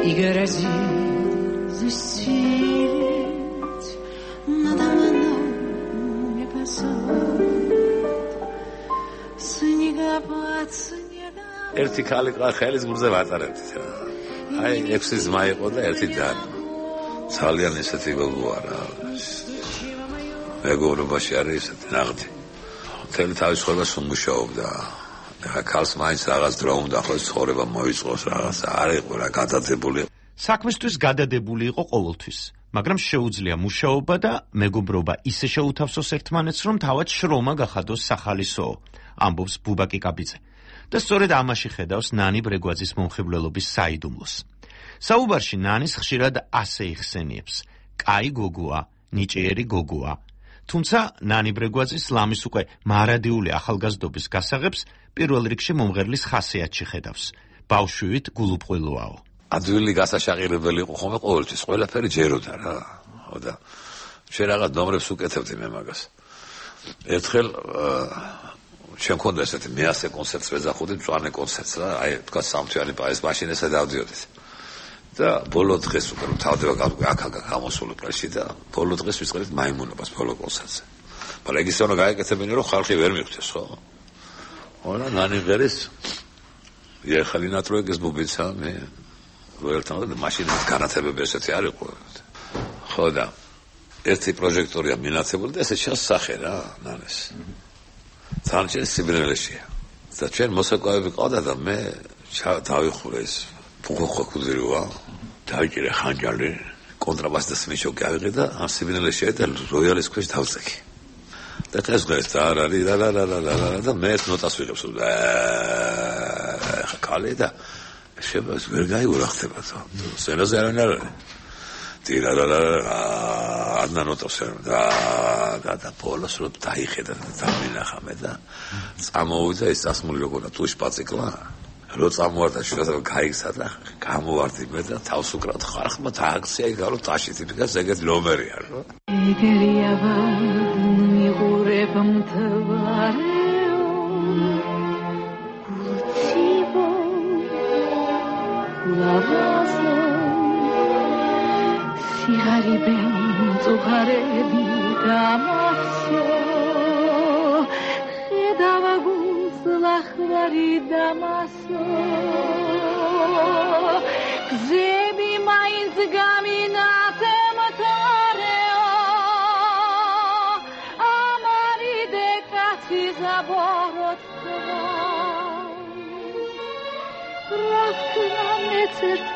и грозит застелить надо мной небосвод. Снегопад, снегопад. ერთი ქალი ყვა ხელის გულზე ვატარებდით რა. აი ექვსი ძმა იყო და ერთი და ძალიან ისეთი გოგოა რა. მეგობრობაში არის ისეთი ნაღდი. მთელი თავის ცხოვრებას უმუშაობდა. ახლა ქალს მაინც რაღაც დრო უნდა ხო ცხოვრება მოიწყოს რაღაც არ იყო რა გადადებული. საქმისთვის გადადებული იყო ყოველთვის, მაგრამ შეუძლია მუშაობა და მეგობრობა ისე შეუთავსოს ერთმანეთს, რომ თავად შრომა გახადოს სახალისო, ამბობს ბუბაკი კაბიძე. და სწორედ ამაში ხედავს ნანი ბრეგვაძის მომხიბვლელობის საიდუმლოს. საუბარში ნანის ხშირად ასე იხსენიებს: კაი გოგოა, ნიჭიერი გოგოა. თუმცა ნანი ბრეგვაძის ლამის უკვე მარადიული ახალგაზრდობის გასაღებს პირველ რიგში მომღერლის ხასიათში ხედავს. ბავშვივით გულუბრყვილოაო. ადვილი გასაშაყირებელი იყო ხოლმე ყოველთვის, ყველაფერი ჯეროდა რა. ხო და შენ რაღაც ნომრებს უკეთებდი მე მაგას. ერთხელ ჩვენ მქონდა ესეთი მეასე კონცერტს ვეძახოდი, მწვანე კონცერტს რა, აი თქვა სამთვიანი პაის მაშინ ესე დავდიოდით. და ბოლო დღეს უკვე თავდება აქ-აქ გამოსული პრესში და ბოლო დღეს ვიწყებთ მაიმუნობას ბოლო კონცერტზე. მაგრამ ეგ ისე უნდა გაეკეთებინო, რომ ხალხი ვერ მიხვდეს, ხო? ონა ნანი ღერის ეხალი ნატროეგეს ბუბიცა მე ვერთან და მაშინაც განათებები ესეთი არ იყო. ხო და ერთი პროჟექტორია მინაცებული და ესე შესახე რა ნანეს. ძალიან სიბნელეშია. და ჩვენ მოსაკვავები ყავდა და მე დავიხურე ეს ფუხოხო კუდრივა, დავიჭირე ხანჯალი, კონტრაბასის მიშოკი ავიღე და ამ სიბნელეშია და როიალის ქვეშ დავწეკი. და ეს დღეს და არ არის რა რა რა რა რა და მე ეს ნოტას ვიღებს და ხალე და შებას ვერ გაიურახდება თო. სენაზე არ არის. ტირა რა რა ადნა ნოტას და და და პოლოს რო დაიხედა და დამინახა მე და წამოვიდა ეს ასმული როგორ თუ შპაციკლა რო წამოვარდა შეიძლება გაიქცა და გამოვარდი მე და თავს უკრავთ ხარხმა და აქცია იგარო ტაში ტიპიკას ეგეთ ნომერია რო ეგერია მიღურებ მთვარეო გულთიბო ლავაზო სიარიბე წუხარები დამასო ხედავა გულს ლახვარი დამასო გზები მაინც გამინათემთარეო ამარიდე კაცი ზაბოროტქვა რახნა მეცერთ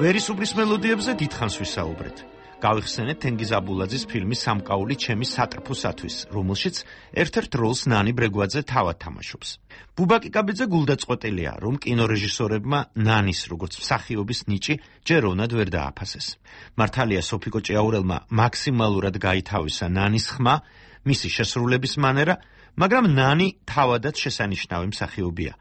ვერისუბრის მელოდიებზე დიდხანს ვისაუბრეთ. გავიხსენეთ თენგიზ აბულაძის ფილმი სამკაული ჩემი სატრფოსათვის, რომელშიც ერთ-ერთ როლს ნანი ბრეგვაძე თავად თამაშობს. ბუბაკი კაბიძე გულდაწყვეტილია, რომ კინორეჟისორებმა ნანის როგორც მსახიობის ნიჭი ჯეროვნად ვერ დააფასეს. მართალია სოფიკო ჭიაურელმა მაქსიმალურად გაითავისა ნანის ხმა, მისი შესრულების მანერა, მაგრამ ნანი თავადაც შესანიშნავი მსახიობია.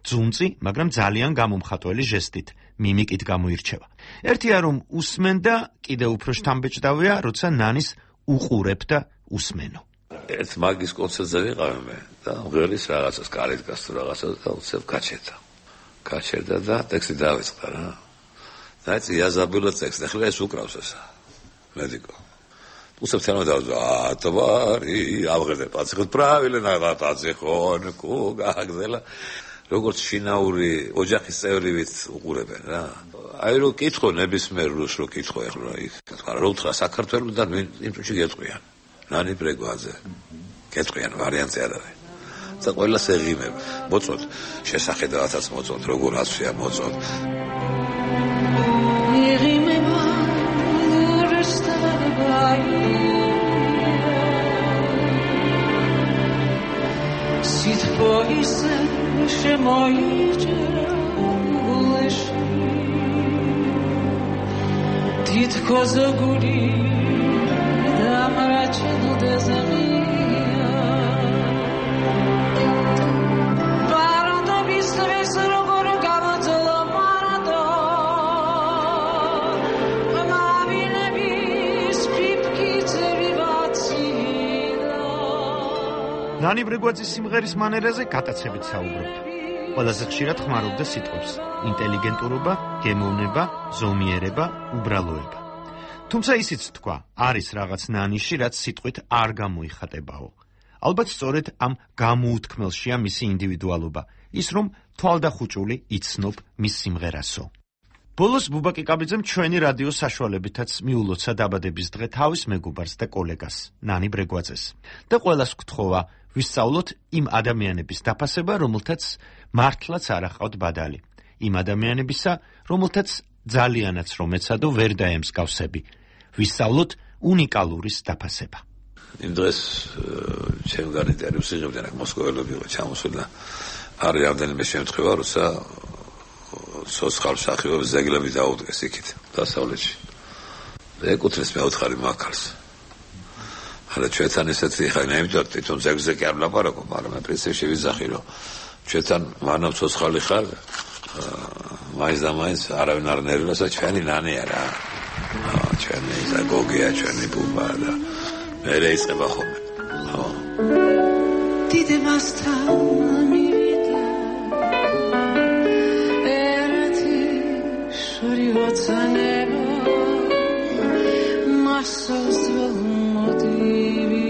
ძუნწი, მაგრამ ძალიან გამომხატველი ჟესტით, მიმიკით გამოირჩევა. ერთია რომ უსმენდა, კიდევ უფრო შთამბეჭდავია, როცა ნანის უყურებ და უსმენო. ერთ მაგის კონცერტზე ვიყავ მე და ღერის რაღაცას კარით გასწრო რაღაცას და უცებ გაჩერდა. გაჩერდა და ტექსტი დავიწყდა რა. და ეს იაზაბულა ტექსტი, ახლა ეს უკრავს ესა. მედიკო უცებ თანა დავზა ატვარი ავღეზე პაციხოთ правильно ნაღა პაციხონ კუგაგზელა როგორც შინაური ოჯახის წევრივით უყურებენ რა აი რო კითხო ნებისმიერ რუს რო კითხო ახლა იქ თქვა რო უთხრა საქართველოსთან იმ წუთში გეტყვიან ნანი ბრეგვაძე გეტყვიან ვარიანტი არ არის და ყველას ეღიმებ მოწოდ შესახედავათაც მოწოდ როგორ აცვია მოწოდ ეღიმებ Ситпоисе шемоиче гулеши თითქოს გული დამრაჩენდეს ღია ბარონდობის დღეს როგორ გამოძლო მარადო მამინების ფიფკიცები ვაცილო ნანი ბრეგვაძის სიმღერის მანერაზე გატაცებით საუბრობთ. ყველაზე ხშირად ხმარობდა სიტყვებს: ინტელიგენტურობა, გემოვნება, ზომიერება, უბრალოება. თუმცა ისიც თქვა, არის რაღაც ნანიში, რაც სიტყვით არ გამოიხატებაო. ალბათ სწორედ ამ გამოუთქმელშია მისი ინდივიდუალობა, ის რომ თვალდახუჭული იცნობ მის სიმღერასო. ბოლოს ბუბა კიკაბიძემ ჩვენი რადიო საშუალებითაც მიულოცა დაბადების დღე თავის მეგობარს და კოლეგას, ნანი ბრეგვაძეს. და ყველას გთხოვა ვისწავლოთ იმ ადამიანების დაფასება, რომელთაც მართლაც არ აყავთ ბადალი. იმ ადამიანებისა, რომელთაც ძალიანაც რომ ეცადო ვერ დაემსგავსები. ვისწავლოთ უნიკალურის დაფასება. იმ დღეს ჩემ გარდაიტანებს იღებდნენ აქ მოსკოველები იყო ჩამოსული და არის რამდენიმე შემთხვევა, როცა სოცხალ მსახიობს ზეგლები დაუდგეს იქით დასავლეთში. და ეკუთვნის მეოთხარი მაქარს. არა ჩვენთან ესეთი ხა ნაიმდოთ თვითონ ზეგზე კი არ ვლაპარაკობ, მაგრამ პრინციპში ვიზახი რომ ჩვენთან მანამ სოცხალი ხარ მაინც და მაინც არავინ არ ნერვიოსა ჩვენი ნანია რა. ჩვენი ზაგოგია, ჩვენი ბუბა და მერე იწყება ხოლმე. ხო. დიდ მასთან მივიდა ერთი შური ვაცანებო მასოს მოდივი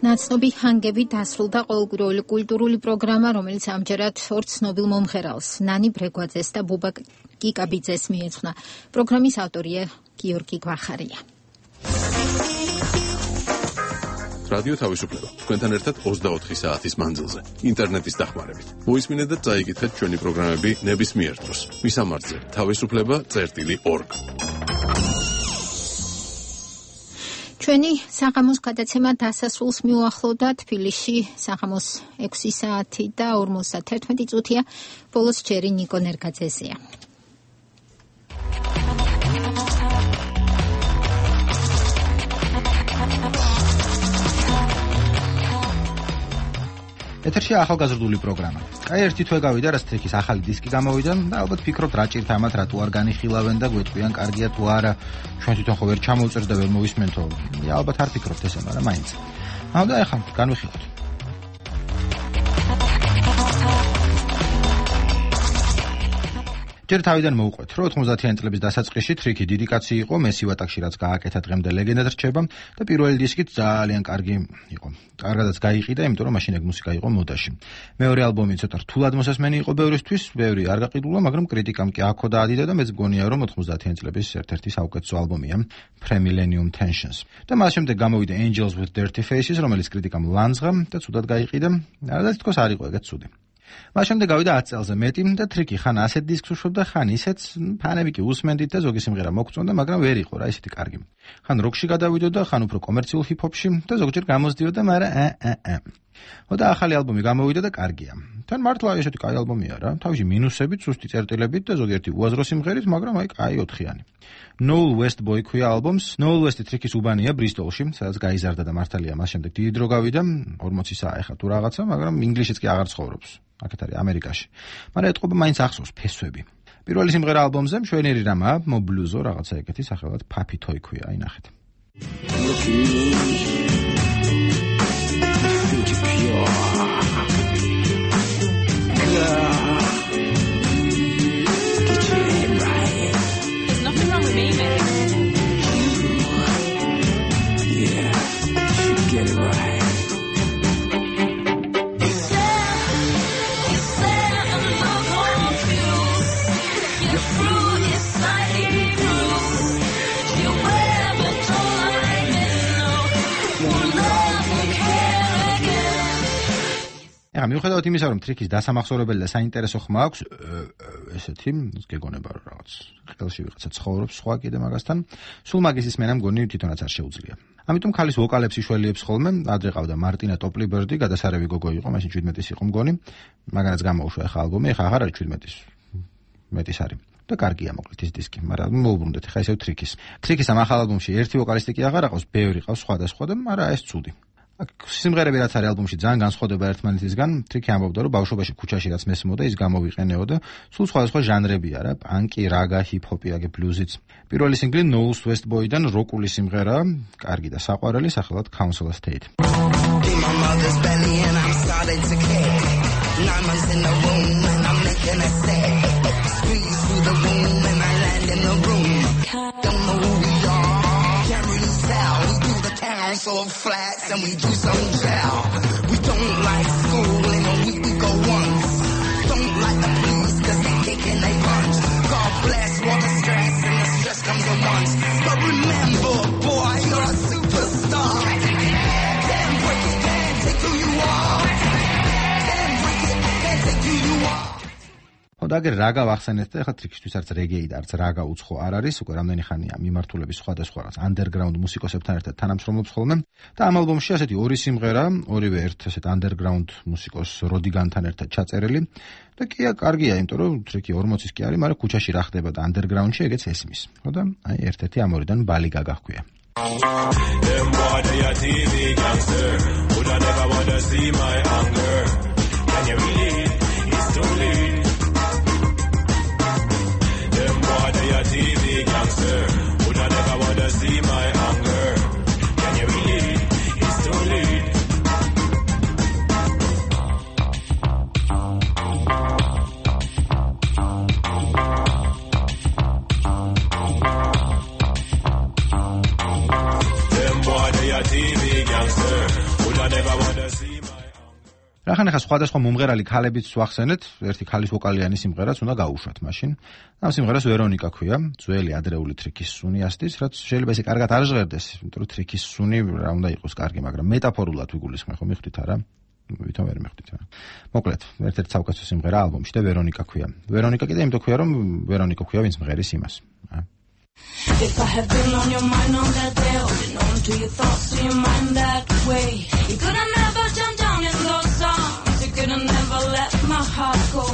ნაცნობი ჰანგები დასრულდა ყოველკვირეული კულტურული პროგრამა, რომელიც ამჯერად ორ ცნობილ მომღერალს, ნანი ბრეგვაძეს და ბუბა კიკაბიძეს მიეძღვნა. პროგრამის ავტორია გიორგი გვახარია. რადიო თავისუფლება. თქვენთან ერთად ოცდაოთხი საათის მანძილზე, ინტერნეტის დახმარებით. მოისმინეთ და წაიკითხეთ ჩვენი პროგრამები ნებისმიერ დროს. მისამართზე თავისუფლება წერტილი ორგ. ჩვენი საღამოს გადაცემა დასასრულს მიუახლოვდა. თბილისში საღამოს ექვსი საათი და ორმოცდათერთმეტი წუთია. ბოლოს ჯერი ნიკო ნერგაძეზეა. ეთერში ახალგაზრდული პროგრამა. კაი ერთი თვე გავიდა, რაც ტრიკის ახალი დისკი გამოვიდა და ალბათ ფიქრობთ რა ჭირთ ამათ, რატო არ განიხილავენ და გვეტყვიან კარგია თუ არა. ჩვენ თვითონ ხო ვერ ჩამოვწერთ და ვერ მოვისმენთო. ალბათ არ ფიქრობთ ესე, მაგრამ მაინც. აუ და ეხლა განვიხილოთ. ჯერ თავიდან მოვყვეთ, რომ ოთხმოცდათიანი წლების დასაწყისში ტრიკი დიდი კაცი იყო, მესი ვატაკში რაც გააკეთა დღემდე ლეგენდად რჩება და პირველი დისკით ძალიან კარგი იყო. კარგადაც გაიყიდა, იმიტომ რომ მაშინ ეგ მუსიკა იყო მოდაში. მეორე ალბომი ცოტა რთულად მოსასმენი იყო ბევრისთვის, ბევრი არ გაყიდულა, მაგრამ კრიტიკამ კი აქო დაადიდა და მეც გონია რომ ოთხმოცდათიანი წლების ერთ-ერთი საუკეთესო ალბომია Pre-Millennium Tensions. და მას შემდეგ გამოვიდა Angels with Dirty Faces, რომელიც კრიტიკამ ლანძღა და ცუდად გაიყიდა, და თითქოს არ იყო ეგეც ცუდი. მას შემდეგ გავიდა ათი წელზე მეტი და ტრიკი ხან ასეთ დისკს უშვებდა, ხან ისეც, ფანები კი უსმენდით და ზოგი სიმღერა მოგწონდა, მაგრამ ვერ იყო რა ისეთი კარგი. ხან როკში გადავიდოდა, ხან უფრო კომერციულ ჰიპ-ჰოპში და ზოგჯერ გამოსდიოდა, მაგრამ ა ა ა. და ახალი ალბომი გამოვიდა და კარგია. თან მართლა ესეთი კაი ალბომია რა, თავისი მინუსებით, სუსტი წერტილებით და ზოგიერთი უაზრო სიმღერით, მაგრამ აი კაი ოთხიანი. Noel West Boy ქვია ალბომს. Noel West ტრიკის უბანია ბრისტოლში, სადაც გაიზარდა და მართალია მას შემდეგ დიდი დრო გავიდა, ორმოცი საათი ახლა თუ რაღაცა, მაგრამ ინგლისშიც კი აღარ ცხოვრობს. აქეთ არის ამერიკაში. მაგრამ ეთყობა მაინც ახსოვს ფესვები. პირველი სიმღერა ალბომზე მშვენიერი რამაა, მობლუზო რაღაცა ეგეთი სახელად Puppy Toy ქვია, აი ნახეთ. One ახლა მიუხედავად იმისა, რომ ტრიკის დასამახსოვრებელი და საინტერესო ხმა აქვს, ესეთი, გეგონება რომ რაღაც ყელში ვიღაცა ცხოვრობს სხვა კიდე მაგასთან, სულ მაგის ისმენა მგონი თვითონაც არ შეუძლია. ამიტომ ქალის ვოკალებს იშველიებს ხოლმე, ადრე ყავდა მარტინა ტოპლიბერდი, გადასარევი გოგო იყო, მაშინ შვიდმეტის იყო მგონი, მაგანაც გამოუშვა ახლა ალბომი, ახლა აღარ არის შვიდმეტის, მეტის არის. და კარგია მოკლედ ის დისკი, მაგრამ მოუბრუნდეთ ახლა ისევ ტრიკის. ტრიკის ამ ახალ ალბომში ერთი ვოკალისტი კი აღარ ყავს, ბევრი ყავს სხვადასხვა და მაგრამ ეს ცუდი. სიმღერები რაც არის ალბომში ძალიან განსხვავდება ერთმანეთისგან. ტრიკი ამბობდა, რომ ბავშვობაში ქუჩაში რაც მესმოდა, ის გამოვიყენეო და სულ სხვადასხვა ჟანრებია რა, პანკი, რაგა, ჰიპ-ჰოპი, აგე ბლუზიც. პირველი სინგლი Knowles West Boy-დან როკული სიმღერა, კარგი და საყვარელი, სახელად Council Estate. Council of flats and we do some jail. We don't like school in a week we go once. Don't like the police cause they kick and they punch. God bless all the stress and the stress comes at once. But remember boy you're a superstar. Can't break it, can't take who you are. Can't break it, can't take who you are. და აგერ რაგა ვახსენეთ და ახლა ტრიკისთვის არც რეგეი და არც რაგა უცხო არ არის, უკვე რამდენი ხანია მიმართულების სხვადასხვა რაღაც underground მუსიკოსებთან ერთად თანამშრომლობს ხოლმე და ამ ალბომში ასეთი ორი სიმღერა, ორივე ერთ ასეთ underground მუსიკოს როდიგანთან ერთად ჩაწერილი და კი კარგია, იმიტომ რომ ტრიკი ორმოცის კი არის, მაგრამ ქუჩაში რა ხდება და underground-ში ეგეც ესმის. ხო და აი ერთ-ერთი ამ ორიდან ბალი გაგა ჰქვია. Them boy they are T V gangster, would I never wanna see my anger. Can you really? It's too late. T V gangster, would I never wanna see my anger? Can you really? It's too late. Them boy they are T V gangster, would I never wanna see my რახან ახლა სხვადასხვა მომღერალი ქალებიც ვახსენეთ, ერთი ქალის ვოკალიანი სიმღერაც უნდა გაუშვათ მაშინ. ამ სიმღერას ვერონიკა ქვია, ძველი ადრეული ტრიკის სუნი ასდის, რაც შეიძლება ესე კარგად არ ჟღერდეს, იმიტომ რომ ტრიკის სუნი რა უნდა იყოს კარგი, მაგრამ მეტაფორულად ვიგულისხმე, ხო მიხვდით არა? ვითომ ვერ მიხვდით რა. მოკლედ, ერთ-ერთი საუკეთესო სიმღერა ალბომში და ვერონიკა ქვია. ვერონიკა კიდე იმიტომ ქვია, რომ ვერონიკა ქვია ვინც მღერის იმას. If I have been on your mind on that day, holding on to your thoughts, to your mind that way, you could have never jumped down in those songs, you could have never let my heart go.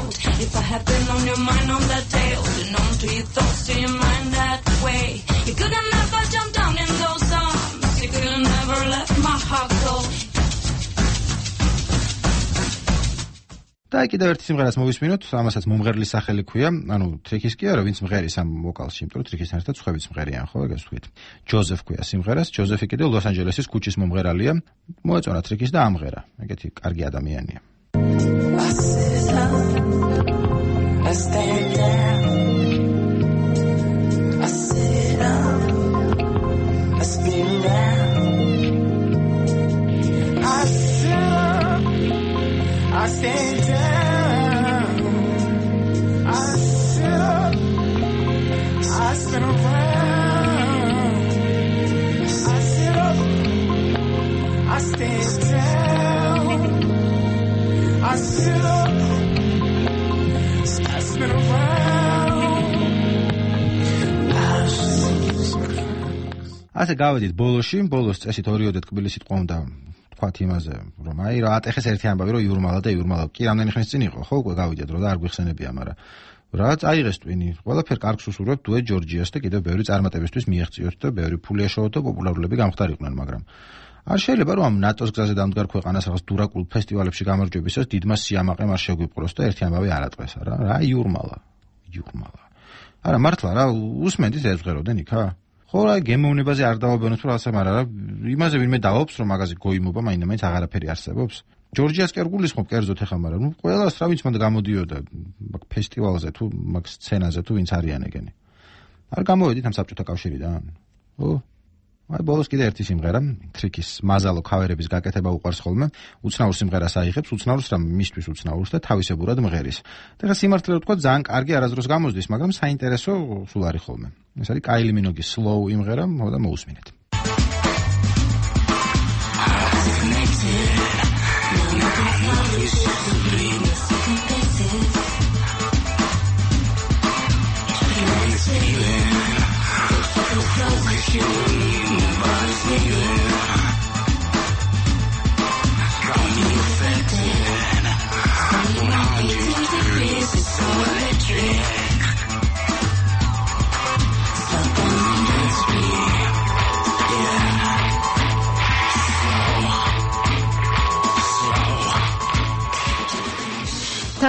If I have been on your mind on that day, holding on to your thoughts, to your mind that way, you could have never jumped down in those songs, you could have never let my heart go. და კიდევ ერთი სიმღერას მოვისმინოთ, ამასაც მომღერლის სახელი ქვია, ანუ ტრიკის კი არა, ვინც მღერის ამ ვოკალში, იმიტომ რომ ტრიკისთან ერთად სხვაებიც მღერიან, ხო, ეგეც ვთქვით. ჯოზეფ ქვია სიმღერას, ჯოზეფი კიდევ ლოს-ანჯელესის ქუჩის მომღერალია, მოეწონა ტრიკის და ამღერა, ეგეთი კარგი ადამიანია. I stand down, I sit up, I spin around, I sit up, I stand down, I sit up, I spin around. ასე გავედით ბოლოში, ბოლოს წესით ორიოდე თბილისით ყავდა თქვათ იმაზე, რომ აი რა ატეხეს ერთი ამბავი, რომ იურმალა და იურმალა კი რამდენი ხნის წინ იყო, ხო, უკვე გავიდეთ რომ და არ გვიხსენებია, მაგრამ რაც აიღეს ტვინი, ყველაფერ კარგს უსურვებთ დუეტ ჯორჯიას და კიდევ ბევრი წარმატებისთვის მიაღწიოთ და ბევრი ფული ეშოვოთ და პოპულარულები გამختارიყვნენ, მაგრამ არ შეიძლება რომ ამ ნატოს გზაზე დამდგარ ქვეყანას რაღაც დურაკულ ფესტივალებში გამარჯვებისას დიდმა სიამაყემ არ შეგვიპყროს და ერთი ამბავი არ ატყვეს, რა, რა იურმალა, იურმალა. არა მართლა რა, უსმენთ ეს ეზღეროდენ იქა? ხო რა გემოვნებაზე არ დავაბანოთ რომ ასე, მაგრამ რა იმაზე ვინმე დავობს რომ მაგაზე გოიმობა მაინდა-მაინც აღარაფერი არსებობს. ჯორჯიას კი არ გულისხმობ კერძოდ ახლა, მაგრამ ნუ ყველას რა ვინც მანდ გამოდიოდა მაგ ფესტივალზე თუ მაგ სცენაზე თუ ვინც არიან ეგენი. არ გამოვედით ამ საბჭოთა კავშირიდან? ო აი ბოლოს კიდე ერთი სიმღერა, ტრიკის მაზალო ქავერების გაკეთება უყვარს ხოლმე, უცნაურ სიმღერას აიღებს, უცნაურს რა მისთვის უცნაურს და თავისებურად მღერის. და რა სიმართლე ვთქვა, ძალიან კარგი არასდროს გამოსდის, მაგრამ საინტერესო სულ არის ხოლმე. ეს არის კაილი მინოგის slow იმღერა, და მოусმინეთ.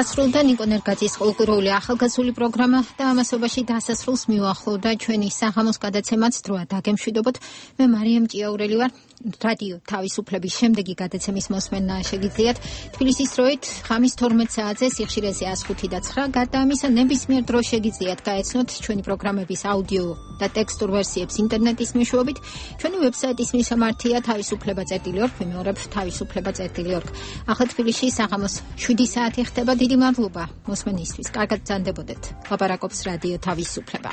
დასრულდა ნიკო ნერგაძის ყოველკვირეული ახალგაზრდული პროგრამა და ამასობაში დასასრულს მივახლოვდა ჩვენი საღამოს გადაცემაც დროა დაგემშვიდობოთ. მე მარიამ ჭიაურელი ვარ. რადიო თავისუფლების შემდეგი გადაცემის მოსმენა შეგიძლიათ თბილისის დროით ღამის თორმეტ საათზე სიხშირეზე one oh five და nine გადაამისა ნებისმიერ დროს შეგიძლიათ გაეცნოთ ჩვენი პროგრამების აუდიო და ტექსტურ ვერსიებს ინტერნეტის მეშვეობით. ჩვენი ვებსაიტის მისამართია თავისუფლება წერტილი org, ვიმეორებ თავისუფლება წერტილი org. ახლა თბილისში საღამოს seven საათი ხდება. დიდი მადლობა მოსმენისთვის. კარგად ბრძანდებოდეთ. ლაპარაკობს რადიო თავისუფლება.